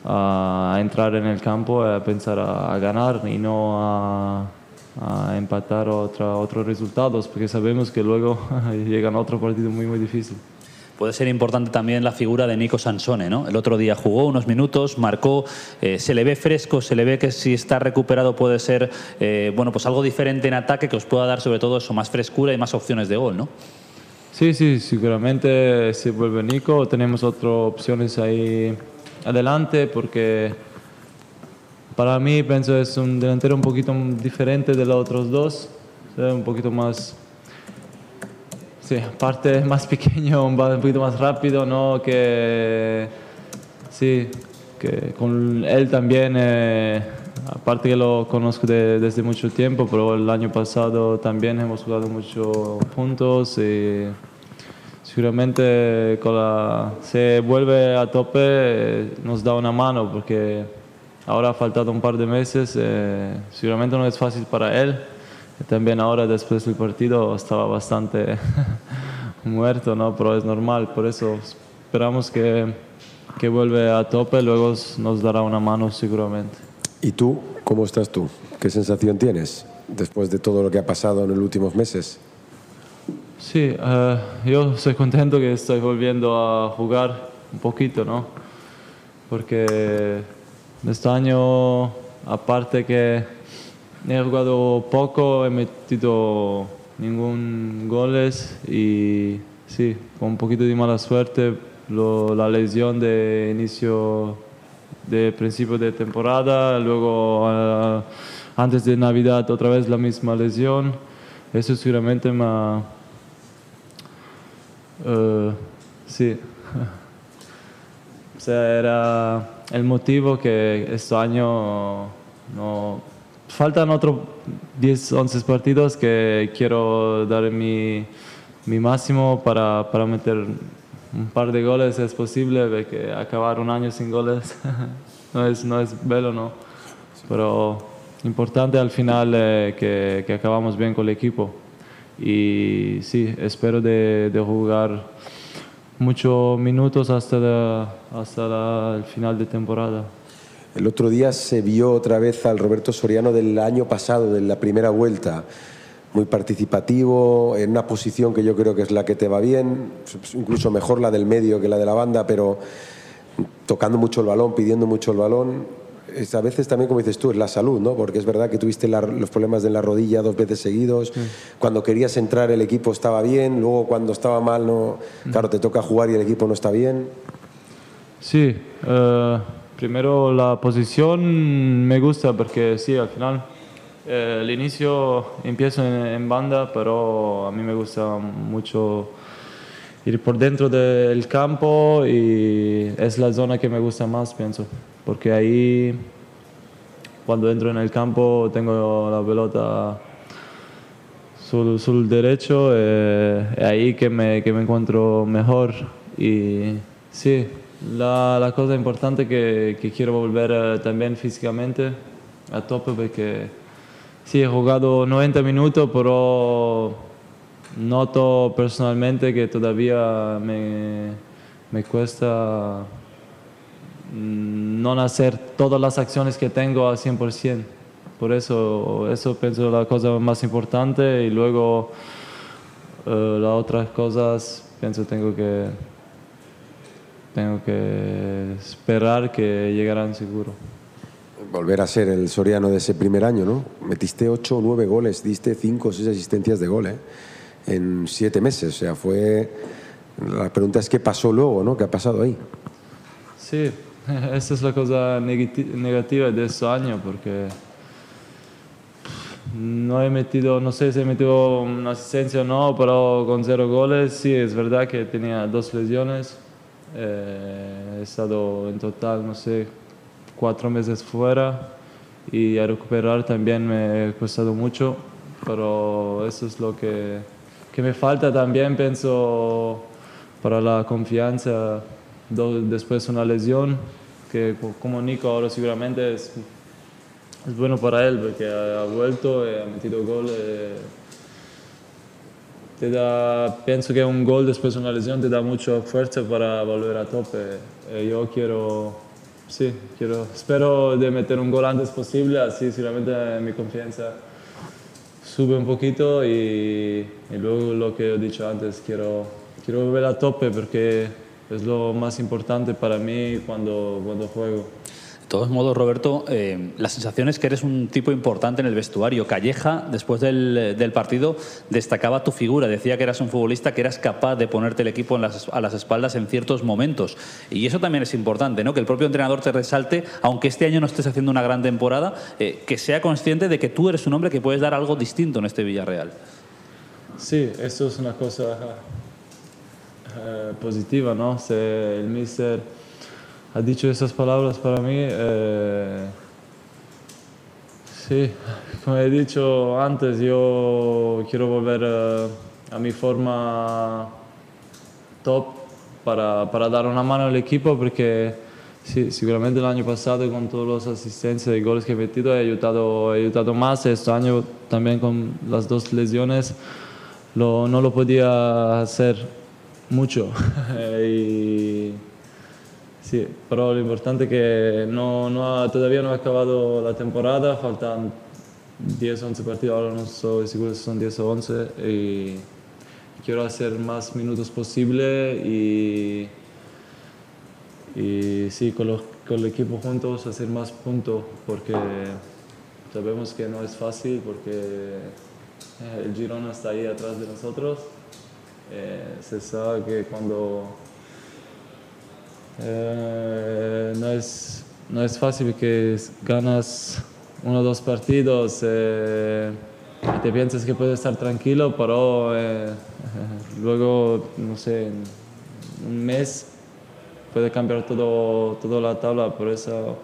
a entrar en el campo, a pensar a ganar y no a empatar otros resultados, porque sabemos que luego llegan a otro partido muy, muy difícil. Puede ser importante también la figura de Nico Sansone, ¿no? El otro día jugó unos minutos, marcó, se le ve fresco, se le ve que si está recuperado puede ser bueno, pues algo diferente en ataque que os pueda dar sobre todo eso, más frescura y más opciones de gol, ¿no? Sí, seguramente si vuelve Nico tenemos otras opciones ahí adelante, porque para mí pienso es un delantero un poquito diferente de los otros dos, un poquito más... Sí, aparte más pequeño, un poquito más rápido, ¿no? Que con él también, aparte que lo conozco desde mucho tiempo, pero el año pasado también hemos jugado mucho juntos y seguramente se vuelve a tope, nos da una mano, porque ahora ha faltado un par de meses, seguramente no es fácil para él. También ahora después del partido estaba bastante muerto, ¿no? Pero es normal, por eso esperamos que vuelve a tope, luego nos dará una mano seguramente. ¿Y tú? ¿Cómo estás tú? ¿Qué sensación tienes después de todo lo que ha pasado en los últimos meses? Sí, yo estoy contento que estoy volviendo a jugar un poquito, ¿no? Porque este año, aparte que he jugado poco, he metido ningún goles y sí, con un poquito de mala suerte, la lesión de inicio de principio de temporada, luego antes de Navidad otra vez la misma lesión, eso seguramente me sí, o sea, era el motivo que este año no... Faltan otros 10, 11 partidos que quiero dar mi máximo para meter un par de goles, es posible, porque acabar un año sin goles no es bello, ¿no? Pero importante al final que acabamos bien con el equipo. Y sí, espero de jugar muchos minutos hasta el final de temporada. El otro día se vio otra vez al Roberto Soriano del año pasado, de la primera vuelta, muy participativo, en una posición que yo creo que es la que te va bien, incluso mejor la del medio que la de la banda, pero tocando mucho el balón, pidiendo mucho el balón. A veces también, como dices tú, es la salud, ¿no? Porque es verdad que tuviste los problemas de la rodilla 2 veces seguidos. Cuando querías entrar el equipo estaba bien, luego cuando estaba mal, no, claro, te toca jugar y el equipo no está bien. Sí, primero la posición me gusta porque sí, al final el inicio empiezo en banda, pero a mí me gusta mucho ir por dentro del campo y es la zona que me gusta más, pienso, porque ahí cuando entro en el campo tengo la pelota sul derecho, ahí que me encuentro mejor y sí. La cosa importante que quiero volver también físicamente a tope, porque sí, he jugado 90 minutos, pero noto personalmente que todavía me cuesta no hacer todas las acciones que tengo al 100%. Por eso pienso la cosa más importante y luego las otras cosas pienso tengo que esperar que llegarán seguro. Volver a ser el Soriano de ese primer año, ¿no? Metiste 8 o 9 goles, diste 5 o 6 asistencias de gol, en 7 meses. O sea, la pregunta es qué pasó luego, ¿no? ¿Qué ha pasado ahí? Sí, esa es la cosa negativa de este año, porque no he metido, no sé si he metido una asistencia o no, pero con 0 goles sí, es verdad que tenía 2 lesiones. He estado en total, no sé, 4 meses fuera y a recuperar también me ha costado mucho, pero eso es lo que me falta también, pienso, para la confianza después de una lesión, que como Nico ahora seguramente es bueno para él porque ha vuelto y ha metido gol. Pienso que un gol después de una lesión te da mucha fuerza para volver a tope. Yo espero de meter un gol antes posible, así seguramente mi confianza sube un poquito y luego lo que he dicho antes, quiero volver a tope porque es lo más importante para mí cuando juego. De todos modos, Roberto, la sensación es que eres un tipo importante en el vestuario. Calleja, después del partido, destacaba tu figura. Decía que eras un futbolista que eras capaz de ponerte el equipo a las espaldas en ciertos momentos. Y eso también es importante, ¿no? Que el propio entrenador te resalte, aunque este año no estés haciendo una gran temporada, que sea consciente de que tú eres un hombre que puedes dar algo distinto en este Villarreal. Sí, eso es una cosa positiva, ¿no? El míster ha dicho esas palabras para mí. Sí, como he dicho antes, yo quiero volver a mi forma top para dar una mano al equipo porque sí, seguramente el año pasado con todas las asistencias y goles que he metido he ayudado más. Este año también con las 2 lesiones no lo podía hacer mucho. Sí, pero lo importante es que todavía no ha acabado la temporada, faltan 10 o 11 partidos, ahora no estoy seguro si son 10 o 11 y quiero hacer más minutos posible y sí, con el equipo juntos hacer más puntos porque sabemos que no es fácil porque el Girona está ahí atrás de nosotros. Se sabe que cuando no es fácil que ganas 1 o 2 partidos y te piensas que puedes estar tranquilo, pero luego, no sé, en un mes puede cambiar toda la tabla. Por eso,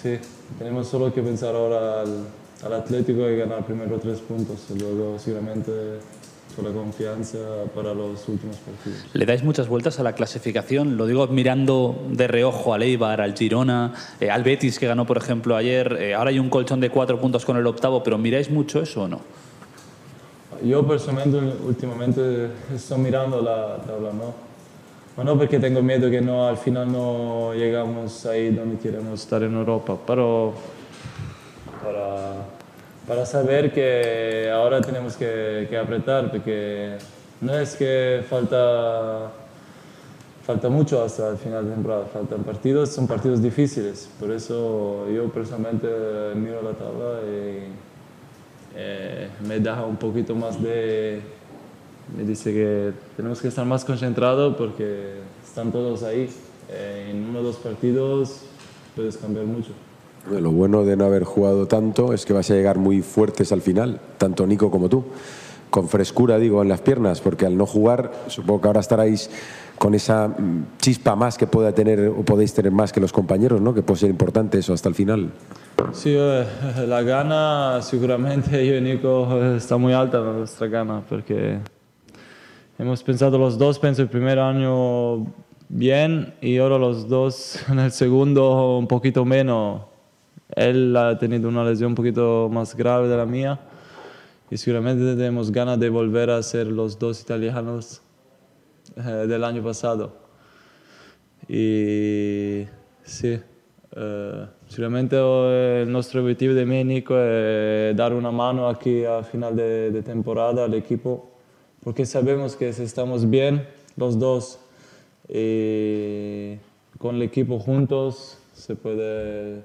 sí, tenemos solo que pensar ahora al Atlético y ganar primero 3 puntos y luego seguramente con la confianza para los últimos partidos. Le dais muchas vueltas a la clasificación, lo digo mirando de reojo al Eibar, al Girona, al Betis que ganó por ejemplo ayer, ahora hay un colchón de 4 puntos con el octavo, pero ¿miráis mucho eso o no? Yo personalmente últimamente estoy mirando la tabla, no porque tengo miedo que al final no llegamos ahí donde queremos estar en Europa, pero para saber que ahora tenemos que apretar, porque no es que falta mucho hasta el final de temporada, faltan partidos, son partidos difíciles, por eso yo personalmente miro la tabla y me da un poquito más me dice que tenemos que estar más concentrados porque están todos ahí, en 1 o 2 partidos puedes cambiar mucho. Lo bueno de no haber jugado tanto es que vas a llegar muy fuertes al final, tanto Nico como tú, con frescura, digo, en las piernas, porque al no jugar, supongo que ahora estaréis con esa chispa más que pueda tener o podéis tener más que los compañeros, ¿no? Que puede ser importante eso hasta el final. Sí, la gana seguramente yo y Nico está muy alta nuestra gana, porque hemos pensado los dos, pienso el primer año bien y ahora los dos en el segundo un poquito menos. Él ha tenido una lesión un poquito más grave de la mía y seguramente tenemos ganas de volver a ser los 2 italianos del año pasado. Y sí, seguramente nuestro objetivo de mí y Nico es dar una mano aquí a final de temporada al equipo, porque sabemos que si estamos bien los dos y con el equipo juntos se puede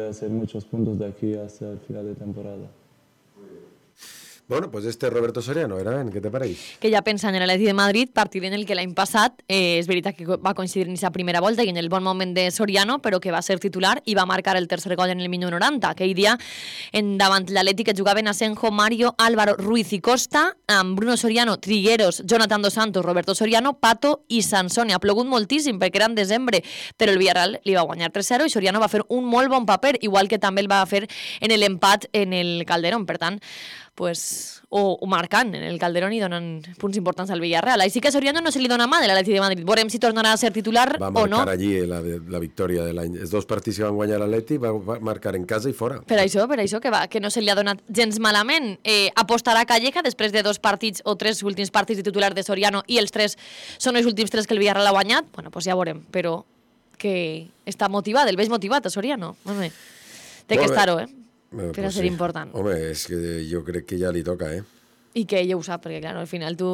hacer muchos puntos de aquí hasta el final de temporada. Bueno, pues Roberto Soriano, era ben, què te pareix? Que ja pensant en l'Atleti de Madrid, partit en el que l'any passat és veritat que va coincidir en aquesta primera volta i en el bon moment de Soriano, però que va ser titular i va marcar el tercer gol en el minut 90. Aquell dia, davant l'Atleti, que jugaven Asenjo, Mario, Álvaro, Ruiz i Costa, amb Bruno Soriano, Trigueros, Jonathan Dos Santos, Roberto Soriano, Pato i Sansone. Ha plogut moltíssim perquè era en desembre, però el Villarreal li va guanyar 3-0 i Soriano va fer un molt bon paper, igual que també el va fer en l'empat en el Calderón. Per tant, pues, o marcant en el Calderón i donen punts importants al Villarreal. Així que a Soriano no se li dona mà de l'Atleti de Madrid. Veurem si tornarà a ser titular o no. Va marcar allí la victòria de l'any. Els 2 partits que van guanyar l'Atleti va marcar en casa i fora. Per això que no se li ha donat gens malament. Apostarà Calleja després de 2 partits o 3 últims partits de titular de Soriano i els 3 són els últims 3 que el Villarreal ha guanyat. Bueno, pues ja veurem, però que està motivat, el veig motivat a Soriano. Home, té que estar-ho, per a ser important. Home, és que jo crec que ja li toca, I que ell ho sap, perquè clar, al final tu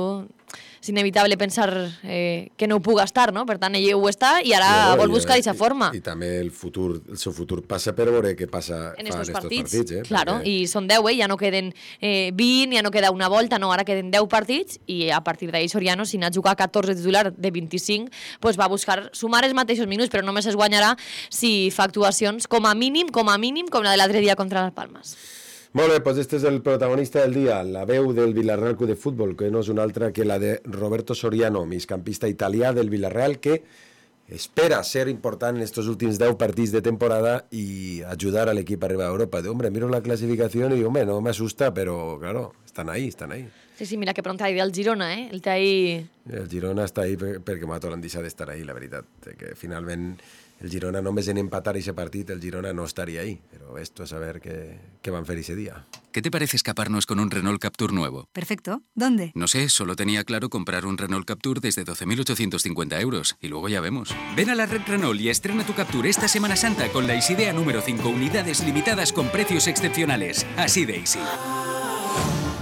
és inevitable pensar que no ho puga estar, no? Per tant, ell ho està i ara vol buscar aquesta forma. I també el seu futur passa per veure què passa en estos partits. Claro, perquè... i són 10, ja no queden 20, ja no queda una volta, no, ara queden 10 partits i a partir d'ahir Soriano, si n'ha jugat 14 titular de 25, pues va buscar sumar els mateixos minuts, però només es guanyarà si fa actuacions com a mínim, com la de l'altre dia contra les Palmes. Molt bé, doncs este és el protagonista del dia, la veu del Villarreal Club de Futbol, que no és una altra que la de Roberto Soriano, migcampista italià del Villarreal, que espera ser important en estos últims 10 partits de temporada y ayudar al equipo a arribar a Europa. Hombre, miro la clasificación y, hombre, no me asusta, pero, claro, están ahí. Sí, mira que pronto hay del Girona, El té ahí... El Girona està ahí perquè m'ha deixat d'estar ahí, la veritat. Que finalment el Girona només en empatar ese partit, el Girona no estaría ahí. Pero esto es a ver qué van a hacer ese día. ¿Qué te parece escaparnos con un Renault Captur nuevo? Perfecto. ¿Dónde? No sé, solo tenía claro comprar un Renault Captur desde 12.850 euros. Y luego ya vemos. Ven a la red Renault y estrena tu Captur esta Semana Santa con la Easy Dea número 5. Unidades limitadas con precios excepcionales. Así de Easy.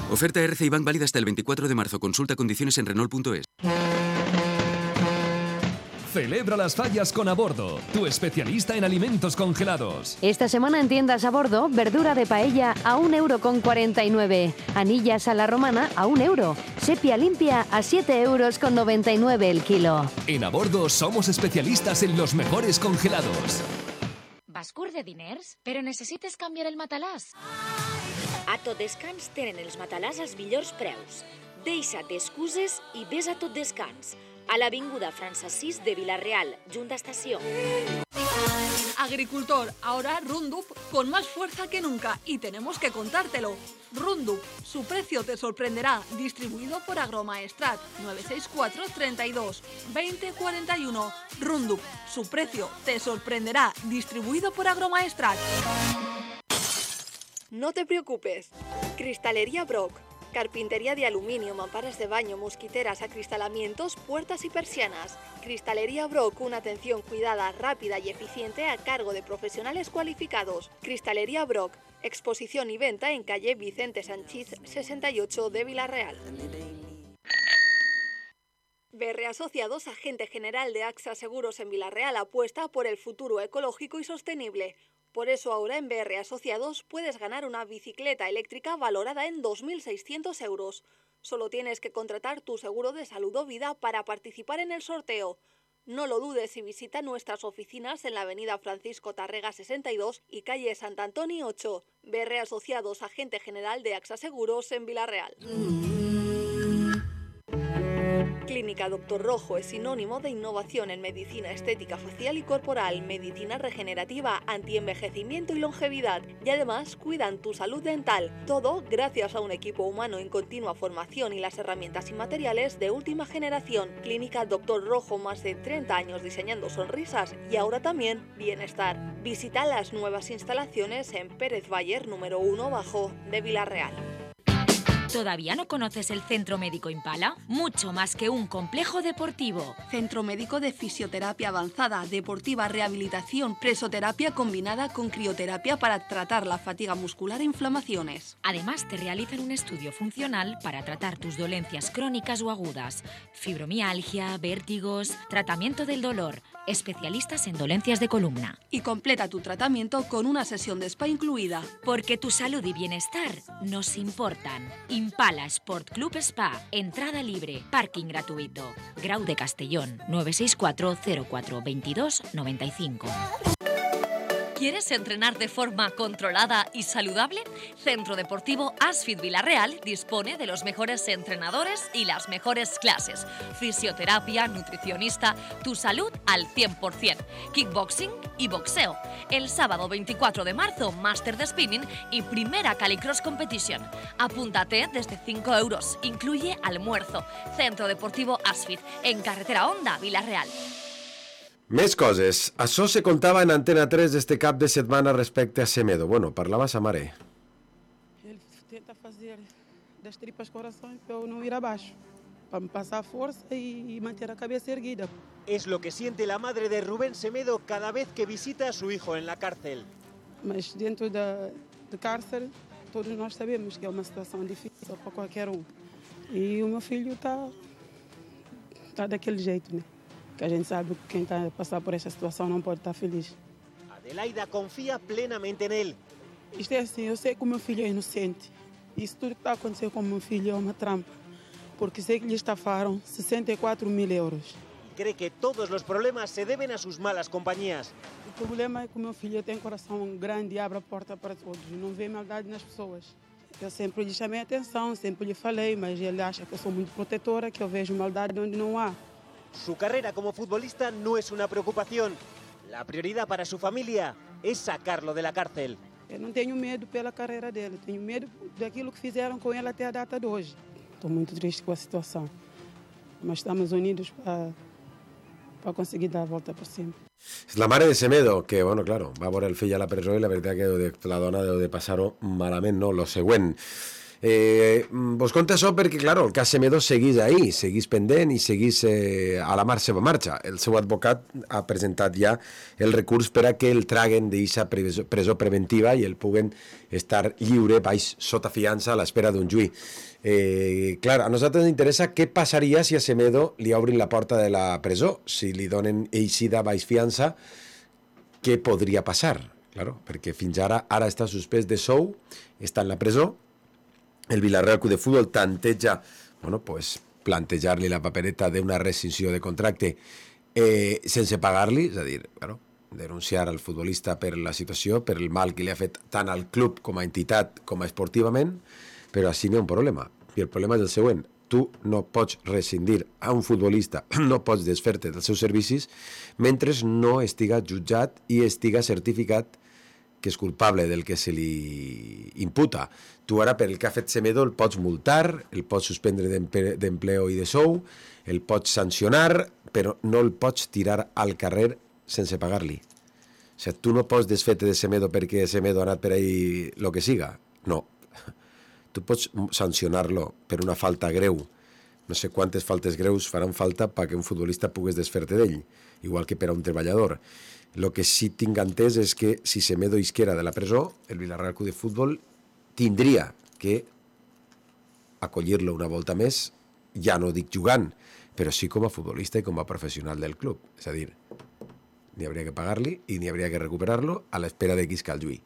Oferta RCI Bank válida hasta el 24 de marzo. Consulta condiciones en Renault.es. Celebra las fallas con Abordo, tu especialista en alimentos congelados. Esta semana en tiendas Abordo, verdura de paella a 1,49 €, anillas a la romana a 1 €, sepia limpia a 7,99 € el kilo. En Abordo somos especialistas en los mejores congelados. Vas curt de diners, però necessites canviar el matalàs? A Tot Descans tenen els matalàs als millors preus. Deixa't excuses i ves a Tot Descans, a l'avinguda França 6 de Villarreal, junta estació. Agricultor, ahora Roundup con más fuerza que nunca y tenemos que contártelo. Roundup, su precio te sorprenderá, distribuido por Agromaestrat, 964 32 20 41. Roundup, su precio te sorprenderá, distribuido por Agromaestrat. No te preocupes. Cristalería Brock. Carpintería de aluminio, mamparas de baño, mosquiteras, acristalamientos, puertas y persianas. Cristalería Brock, una atención cuidada, rápida y eficiente a cargo de profesionales cualificados. Cristalería Brock, exposición y venta en calle Vicente Sanchís 68 de Villarreal. BR Asociados, agente general de AXA Seguros en Villarreal, apuesta por el futuro ecológico y sostenible. Por eso ahora en BR Asociados puedes ganar una bicicleta eléctrica valorada en 2.600 euros. Solo tienes que contratar tu seguro de salud o vida para participar en el sorteo. No lo dudes y visita nuestras oficinas en la avenida Francisco Tarrega 62 y calle Sant Antoni 8. BR Asociados, agente general de AXA Seguros en Villarreal. Clínica Doctor Rojo es sinónimo de innovación en medicina estética facial y corporal, medicina regenerativa, antienvejecimiento y longevidad. Y además cuidan tu salud dental. Todo gracias a un equipo humano en continua formación y las herramientas y materiales de última generación. Clínica Doctor Rojo, más de 30 años diseñando sonrisas y ahora también bienestar. Visita las nuevas instalaciones en Pérez Bayer número 1 bajo de Villarreal. ¿Todavía no conoces el Centro Médico Impala? Mucho más que un complejo deportivo. Centro Médico de Fisioterapia Avanzada, Deportiva, Rehabilitación, Presoterapia combinada con crioterapia para tratar la fatiga muscular e inflamaciones. Además, te realizan un estudio funcional para tratar tus dolencias crónicas o agudas, fibromialgia, vértigos, tratamiento del dolor, especialistas en dolencias de columna. Y completa tu tratamiento con una sesión de spa incluida. Porque tu salud y bienestar nos importan. Impala Sport Club Spa, entrada libre, parking gratuito. Grau de Castellón, 964 04 22 95. ¿Quieres entrenar de forma controlada y saludable? Centro Deportivo Asfit Villarreal dispone de los mejores entrenadores y las mejores clases. Fisioterapia, nutricionista, tu salud al 100%. Kickboxing y boxeo. El sábado 24 de marzo, máster de spinning y primera Calicross Competition. Apúntate desde 5 euros. Incluye almuerzo. Centro Deportivo Asfit, en carretera Honda, Villarreal. Més coses. Això se contava en Antena 3 este cap de setmana respecte a Semedo. Bueno, parlava sa mare. Ele tenta fazer das tripas coração para eu não ir abaixo, para me passar força y manter a cabeza erguida. Es lo que siente la madre de Rubén Semedo cada vez que visita a su hijo en la cárcel. Mas dentro da cárcere, todos nós sabemos que é uma situação difícil para qualquer E o meu filho está daquele jeito, né? Que a gente sabe que quem está a passar por esta situação não pode estar feliz. Adelaida confía plenamente en él. Isto é assim, eu sei que o meu filho é inocente. Isso tudo que está acontecendo com o meu filho é uma trampa. Porque sei que lhe estafaram 64.000 euros. Cree que todos los problemas se deben a sus malas compañías. O problema é que o meu filho tem um coração grande e abre a porta para todos. Não vê maldade nas pessoas. Eu sempre lhe chamei a atenção, sempre lhe falei, mas ele acha que eu sou muito protetora, que eu vejo maldade onde não há. Su carrera como futbolista no es una preocupación. La prioridad para su familia es sacarlo de la cárcel. Eu não tenho medo pela carreira dele, tenho medo daquilo que fizeram com ele até a data de hoje. Estou muito triste com a situação, mas estamos unidos para conseguir dar a volta por cima. La mare de Semedo, que, bueno, claro, va a veure el fill a la presó i la veritat que la dona deu de passar-ho malament, no? Lo següent. Vos conto això perquè, claro, el cas Semedo seguís ahí, seguís pendent i seguís a la seva marxa. El seu advocat ha presentat ja el recurs per a que el traguen d'eixa presó preventiva i el puguen estar lliure baix sota fiança a l'espera d'un juí. Clar, a nosaltres ens interessa què passaria si a Semedo li obrin la porta de la presó, si li donen eixida baix fiança, què podria passar? Claro, perquè fins ara està suspès de sou, està en la presó. El Villarreal Club de Fútbol tanteja, bueno, pues, plantejar-li la papereta d'una rescissió de contracte sense pagar-li, és a dir, claro, denunciar al futbolista per la situació, per el mal que li ha fet tant al club com a entitat com a esportivament, però així n'hi ha un problema. I el problema és el següent. Tu no pots rescindir a un futbolista, no pots desfer-te dels seus servicis mentre no estiga jutjat i estiga certificat que és culpable del que se li imputa. Tu ara, per el que ha fet Semedo, el pots multar, el pots suspendre d'empleo i de sou, el pots sancionar, però no el pots tirar al carrer sense pagar-li. O sigui, tu no pots desfer-te de Semedo perquè Semedo ha anat per ahí lo que siga. No. Tu pots sancionar-lo per una falta greu. No sé quantes faltes greus faran falta perquè un futbolista pugues desfer-te d'ell, igual que per a un treballador. Lo que sí tinc entès és que si Semedo isquera de la presó, el Villarreal Club de Fútbol tindria que acollir-lo una volta més, ja no dic jugant, però sí com a futbolista i com a professional del club. És a dir, n'hi hauria que pagar-li i n'hi hauria que recuperar-lo a l'espera de quiscar el juí.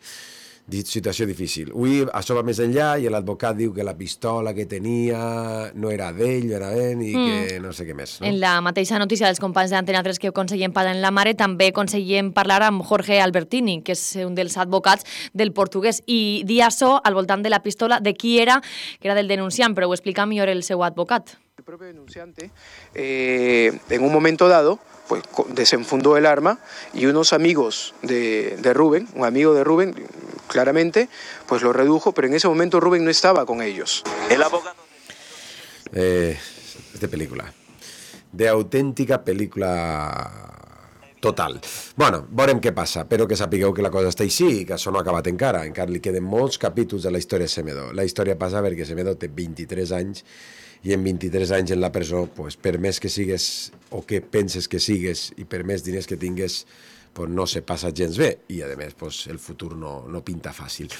Situació difícil. Avui això va més enllà i l'advocat diu que la pistola que tenia no era d'ell, era d'ell i que no sé què més. No? En la mateixa notícia dels companys d'Antena 3 que aconseguim parlar en la mare, també aconseguim parlar amb Jorge Albertini, que és un dels advocats del portuguès, i dir això al voltant de la pistola, de qui era, que era del denunciant, però ho explica millor el seu advocat. El propio denunciante, en un momento dado, pues desenfundó el arma y unos amigos de Rubén, un amigo de Rubén, claramente, pues lo redujo, pero en ese momento Rubén no estaba con ellos. El abogado... Es de pel·lícula, de autèntica pel·lícula total. Bueno, veurem què passa, però que sapigueu que la cosa està així i que això no ha acabat encara li queden molts capítols de la història de Semedo. La història passa perquè Semedo té 23 anys i en 23 anys en la presó, pues, per més que sigues o que penses que sigues i per més diners que tingues, pues, no se passa gens bé i a més pues, el futur no pinta fàcil.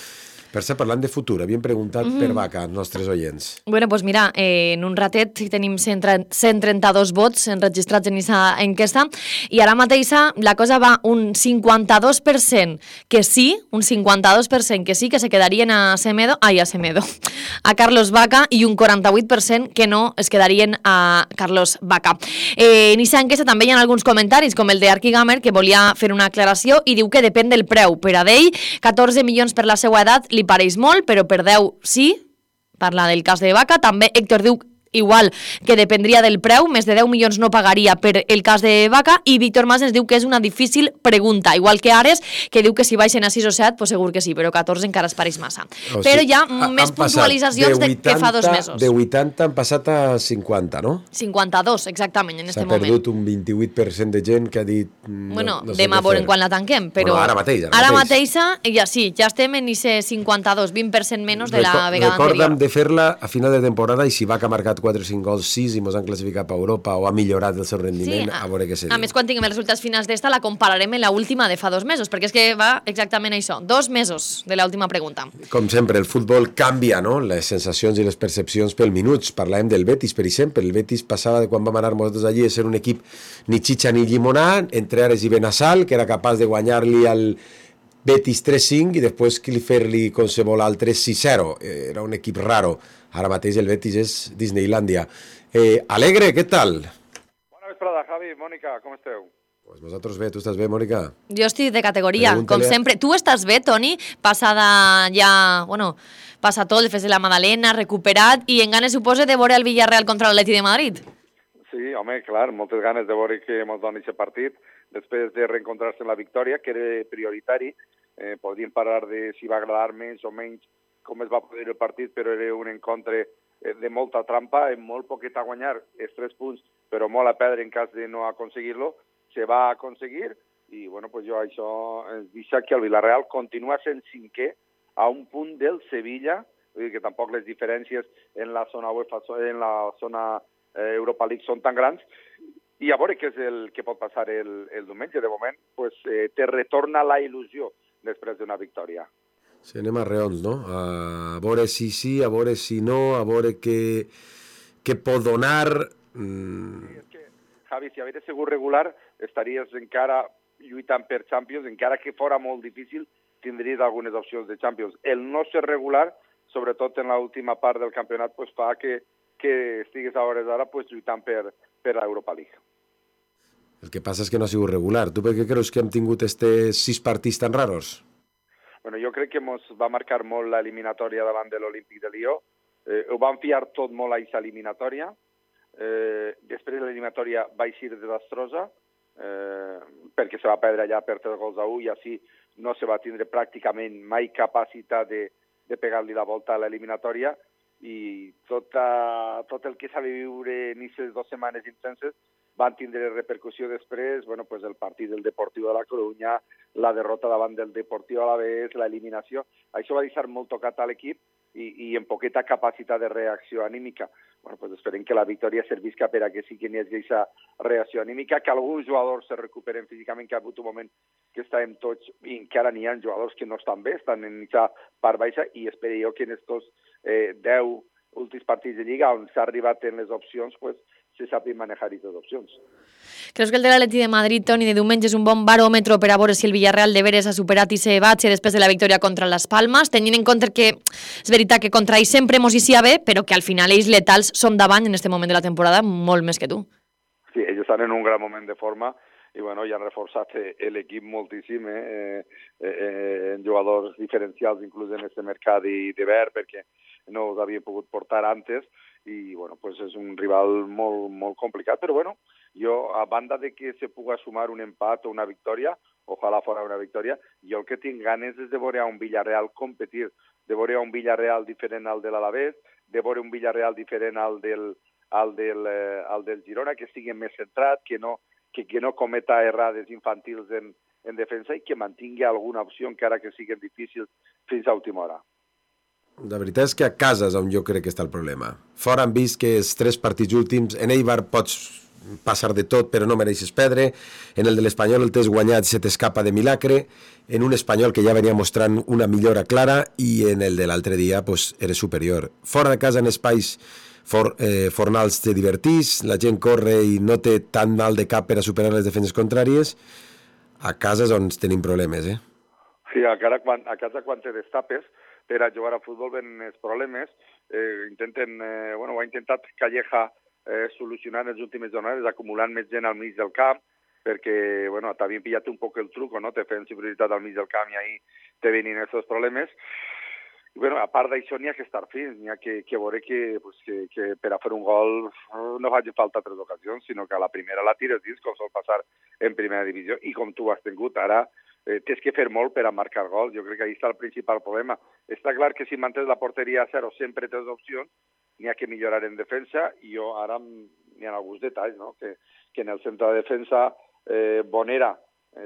Per cert, parlant de futur, havíem preguntat per Vaca als nostres oients. Bueno, doncs mira, en un ratet tenim 132 vots enregistrats en aquesta enquesta i ara mateix la cosa va un 52% que sí, un 52% que sí, que se quedarien a Carlos Vaca i un 48% que no es quedarien a Carlos Vaca. En aquesta enquesta també hi ha alguns comentaris, com el d'Arqui Gamer, que volia fer una aclaració i diu que depèn del preu. Per a d'ell, 14 milions per la seva edat li pareix molt, però per 10 sí. Parla del cas de Vaca. També Héctor diu igual que dependria del preu, més de 10 milions no pagaria per el cas de Vaca, i Víctor Mas ens diu que és una difícil pregunta, igual que Ares, que diu que si baixen a 6 o 7, pues segur que sí, però 14 encara es pareix massa. Però hi ha més puntualitzacions que fa 2 mesos. De 80 han passat a 50, no? 52, exactament, en aquest moment. S'ha perdut un 28% de gent que ha dit... Bueno, demà veurem quan la tanquem, però... Ara mateix. Ara mateix, ja sí, ja estem en aquest 52, 20% menys de la vegada anterior. Recorda'm de fer-la a final de temporada i si Vaca ha marcat 4 o 5 gols, 6 i mos han classificat a Europa o ha millorat el seu rendiment, a veure què se diu. A més, quan tinguem els resultats finals d'esta, la compararem amb l'última de fa 2 mesos, perquè és que va exactament això, 2 mesos de l'última pregunta. Com sempre, el futbol canvia, no?, les sensacions i les percepcions pel minuts. Parlàvem del Betis, per exemple. El Betis passava de quan vam anar nosaltres allí a ser un equip ni xitxa ni llimonà, entre Ares i Benassal, que era capaç de guanyar-li al Betis 3-5 i després fer-li qualsevol altre 6-0. Era un equip raro. Ara mateix el Betis és Disneylandia. Alegre, què tal? Bona vesprada, Javi, Mònica, com esteu? Pues nosaltres bé, tu estàs bé, Mònica? Jo estic de categoria, com sempre. Tu estàs bé, Toni? Passada ja, bueno, passa tot, el Fes de la Madalena, recuperat, i en ganes, suposa, de veure el Villarreal contra l'Atleti de Madrid? Sí, home, clar, moltes ganes de veure que ens doni aquest partit, després de reencontrar-se en la victòria, que era prioritari. Podríem parlar de si va agradar més o menys com es va poder el partit, però era un encontre de molta trampa, amb molt poquet a guanyar, els 3 punts, però molt a perdre en cas de no aconseguir-lo. Se va aconseguir i, bueno, pues jo això ens deixa que el Villarreal continua sent 5è a un punt del Sevilla, vull dir que tampoc les diferències en la zona UEFA, en la zona Europa League són tan grans, i a veure què és el que pot passar el diumenge. De moment, pues, te retorna la il·lusió després d'una victòria. Sí, anem a reons, no? A veure si sí, a veure si no, a veure què pot donar... Sí, és que, Javi, si hagués sigut regular, estaries encara lluitant per Champions, encara que fora molt difícil, tindries algunes opcions de Champions. El no ser regular, sobretot en l'última part del campionat, pues, fa que estigues a hores d'ara pues, lluitant per l'Europa League. El que passa és que no ha sigut regular. Tu per què creus que hem tingut estos 6 partits tan raros? Bueno, jo crec que ens va marcar molt l'eliminatòria davant de l'Olímpic de Lió. Ho van fiar tot molt a aquesta eliminatòria. Després l'eliminatòria va eixir desastrosa, perquè se va perdre allà per 3-1 i així no se va tindre pràcticament mai capacitat de pegar-li la volta a l'eliminatòria, i tot el que s'ha de viure en aquestes 2 setmanes intenses van tindre repercussió després, bueno, pues el partit del Deportiu de la Corunya, la derrota davant del Deportiu Alavés, l'eliminació. Això va deixar molt tocat a l'equip i amb poqueta capacitat de reacció anímica. Bueno, pues esperem que la victòria servisca per a que sí que n'hi hagi aquesta reacció anímica, que alguns jugadors se recuperen físicament, que ha hagut un moment que estàvem tots, i encara n'hi ha jugadors que no estan bé, estan en aquesta part baixa, i espero jo que en aquests 10 últims partits de Lliga, on s'ha arribat en les opcions, pues, se sàpiguen manejar aquestes opcions. Creus que el de l'Atleti de Madrid, Toni, de diumenge és un bon baròmetre per a veure si el Villarreal de veres ha superat i se batxe després de la victòria contra les Palmes, tenint en compte que és veritat que contra ells sempre mos hi sia bé, però que al final ells letals són davant en aquest moment de la temporada molt més que tu. Sí, ells estan en un gran moment de forma i bueno, ja han reforçat l'equip moltíssim en jugadors diferencials, inclús en aquest mercat d'hivern, perquè no els havien pogut portar antes, i bueno, pues és un rival molt, molt complicat, però bueno, jo, a banda de que se puga sumar un empat o una victòria, ojalà fora una victòria, jo el que tinc ganes és de veure a un Villarreal competir, de veure a un Villarreal diferent al de l'Alavés, de veure un Villarreal diferent al del Girona, que estigui més centrat, que no cometa errades infantils en defensa i que mantingui alguna opció, encara que siguin difícils, fins a última hora. La veritat és que a casa és on jo crec que està el problema. Fora han vist que els 3 partits últims, en Eibar pots passar de tot però no mereixes perdre, en el de l'Espanyol el tens guanyat se t'escapa de milagre, en un Espanyol que ja venia mostrant una millora clara i en el de l'altre dia pues, eres superior. Fora de casa en espais fornals te divertís, la gent corre i no té tant mal de cap per a superar les defenses contràries, a casa és on tenim problemes, Sí, a casa quan te destapes per a jugar a futbol ven els problemes, ho ha intentat Calleja solucionar en les últimes jornades, acumulant més gent al mig del camp, perquè, t'havien pillat un poc el truco, no? Te feien superioritat al mig del camp i ahí te venien aquests problemes. I, a part d'això n'hi ha que estar fins, n'hi ha que veure que per a fer un gol no faci falta 3 ocasions, sinó que a la primera la tires dins, com sol passar en primera divisió, i com tu has tingut ara, tens que fer molt per a marcar gols. Jo crec que ahí està el principal problema. Està clar que si mantens la porteria a 0 sempre tens opcions, n'hi ha que millorar en defensa, i jo ara n'hi ha alguns detalls, no? Que en el centre de defensa Bonera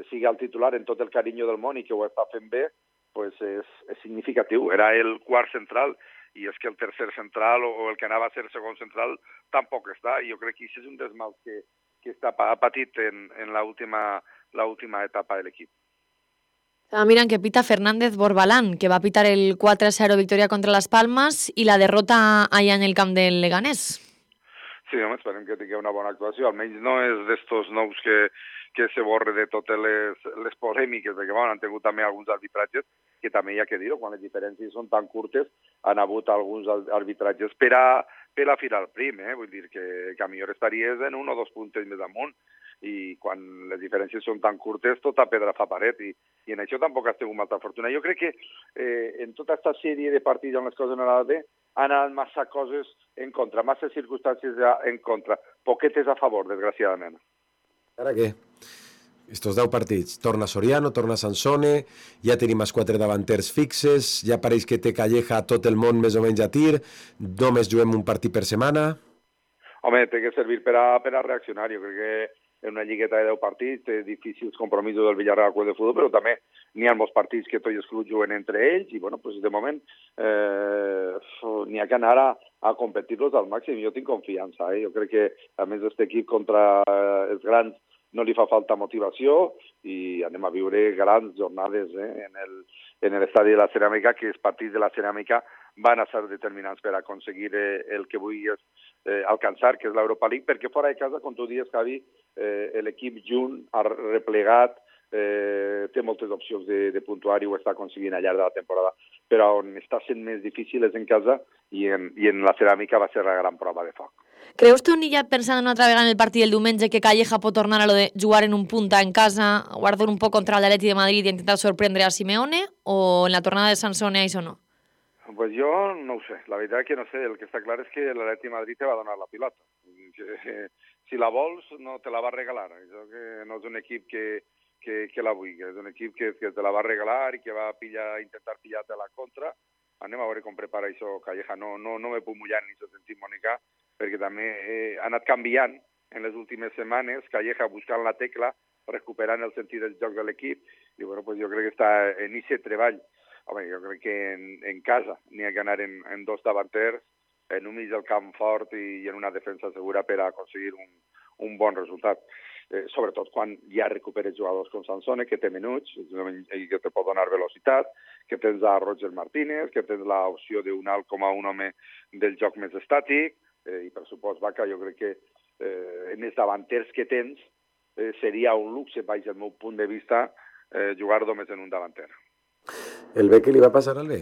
sigui el titular en tot el carinyo del món i que ho està fent bé, pues és significatiu. Era el quart central i és que el tercer central o el que anava a ser segon central tampoc està. Jo crec que això és un dels mals que està patit en l'última etapa de l'equip. Miren que pita Fernández Borbalán, que va pitar el 4-0 victoria contra Las Palmas i la derrota allà en el camp del Leganés. Sí, home, esperem que tingui una bona actuació. Almenys no és d'estos nous que se borre de totes les polèmiques, perquè han tingut també alguns arbitratges, que també hi ha que dir-ho, quan les diferències són tan curtes, han hagut alguns arbitratges per a filar el prim, vull dir que a millor estaries en 1 o 2 puntes més amunt, i quan les diferències són tan curtes, tota pedra fa paret, i en això tampoc has tingut molta fortuna. Jo crec que en tota aquesta sèrie de partits on les coses no han anat bé, han anat massa coses en contra, massa circumstàncies en contra, poquetes a favor, desgraciadament. Ara què? Estos 10 partits, torna Soriano, torna Sansone, ja tenim els 4 davanters fixes, ja pareix que té Calleja a tot el món més o menys a tir, només juguem un partit per setmana. Home, té que servir per a reaccionar. Jo crec que en una lligueta de 10 partits té difícils compromisos del Villarreal Club de Futbol, però també n'hi ha molts partits que tots els clubs juguen entre ells i, de moment n'hi ha que anar a competir-los al màxim. Jo tinc confiança. Jo crec que, a més, aquest equip contra els grans no li fa falta motivació i anem a viure grans jornades en l'estadi de la Ceràmica, que els partits de la Ceràmica van a ser determinants per aconseguir el que vull alcançar, que és l'Europa League, perquè fora de casa, com tu dius, Javi, l'equip junt ha replegat, té moltes opcions de puntuar i ho està aconseguint al llarg de la temporada, però on està sent més difícil és en casa i en la Ceràmica va ser la gran prova de foc. Creus tu, ja pensant una altra vegada en el partit del diumenge, que Calleja pot tornar a lo de jugar en un punta en casa, guardar un poc contra el Atleti de Madrid i intentar sorprendre a Simeone, o en la tornada de Sansone això no? Pues jo no ho sé, la veritat que no sé, el que està clar és que l'Atleti de Madrid te va donar la pilota. Si la vols, no te la va regalar. Això que no és un equip que la vulgui, és un equip que te la va regalar i que va intentar pillar-te a la contra. Anem a veure com prepara això Calleja. No me puc mullar ni se sentit Mònica, perquè també ha anat canviant en les últimes setmanes, Calleja buscant la tecla, recuperant el sentit del joc de l'equip, i jo crec que està en aquest treball. Home, jo crec que en casa n'hi ha que anar en 2 davanters, en un mig del camp fort i en una defensa segura per a aconseguir un bon resultat. Sobretot quan ja recuperes jugadors com Sansone, que té minuts i que te pot donar velocitat, que tens a Roger Martínez, que tens l'opció d'un alt com a un home del joc més estàtic, i per supost, Vaca, jo crec que en els davanters que tens seria un luxe, baix del meu punt de vista, jugar només en un davanter. El B, què li va passar al B?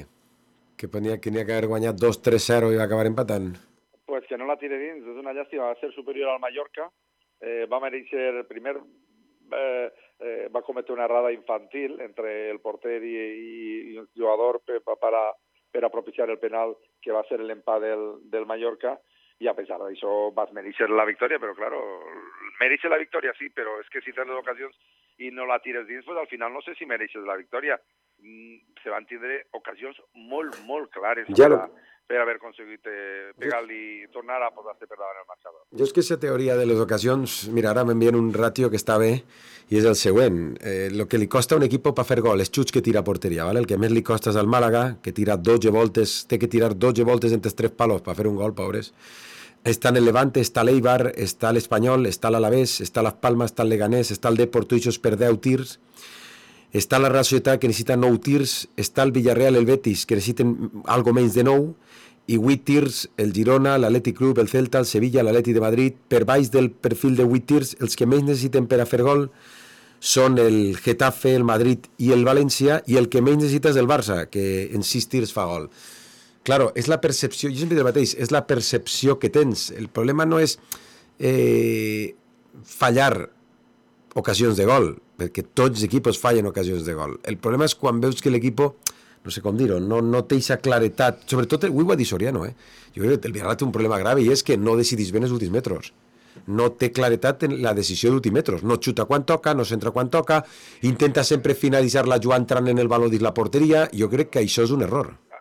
Que n'hi ha que haver guanyat 2-3-0 i va acabar empatant? Pues que no la tire dins, és una llàstima, va ser superior al Mallorca, va mereixer, primer va cometre una errada infantil entre el porter i el jugador per a propiciar el penal que va ser l'empat del Mallorca, i a pesar d'això vas mereixer la victòria, però claro, mereixer la victòria sí, però és que si tens les ocasions i no la tires dins, pues al final no sé si mereixes la victòria. Se van tindre ocasions molt, molt clares per haver aconseguit pegar-li i tornar a posar-se per davant el marcador. Jo és que aquesta teoria de les ocasions, mira, ara m'envien un ràtio que està bé i és el següent. El que li costa a un equip per fer gol és xuts que tira a porteria, ¿vale? El que més li costa és al Màlaga, que tira 12 voltes, té que tirar 12 voltes entre 3 palos per fer un gol, pobres. Estan el Levante, està l'Eibar, està l'Espanyol, està l'Alavés, està Las Palmas, està el Leganés, està el Depor, tots per 10 tirs, està la Real Societat, que necessita 9 tirs, està el Villarreal, el Betis, que necessiten algo menys de 9, i 8 tirs, el Girona, l'Atlètic Club, el Celta, el Sevilla, l'Atlètic de Madrid. Per baix del perfil de 8 tirs, els que menys necessiten per a fer gol són el Getafe, el Madrid i el València, i el que menys necessita és el Barça, que en 6 tirs fa gol. Claro, és la percepció, jo sempre dic el mateix, és la percepció que tens. El problema no és fallar ocasions de gol, perquè tots els equipos fallen ocasions de gol. El problema és quan veus que l'equip, no sé com dir-ho, no té aquesta claretat, sobretot, avui ho va dir Soriano, jo crec que el Villarreal té un problema grave i és que no decidís bé els últims metres. No té claretat en la decisió d'últims metres. No xuta quan toca, no centra quan toca, intenta sempre finalitzar la jugada entrant en el baló dins la porteria. Jo crec que això és un error.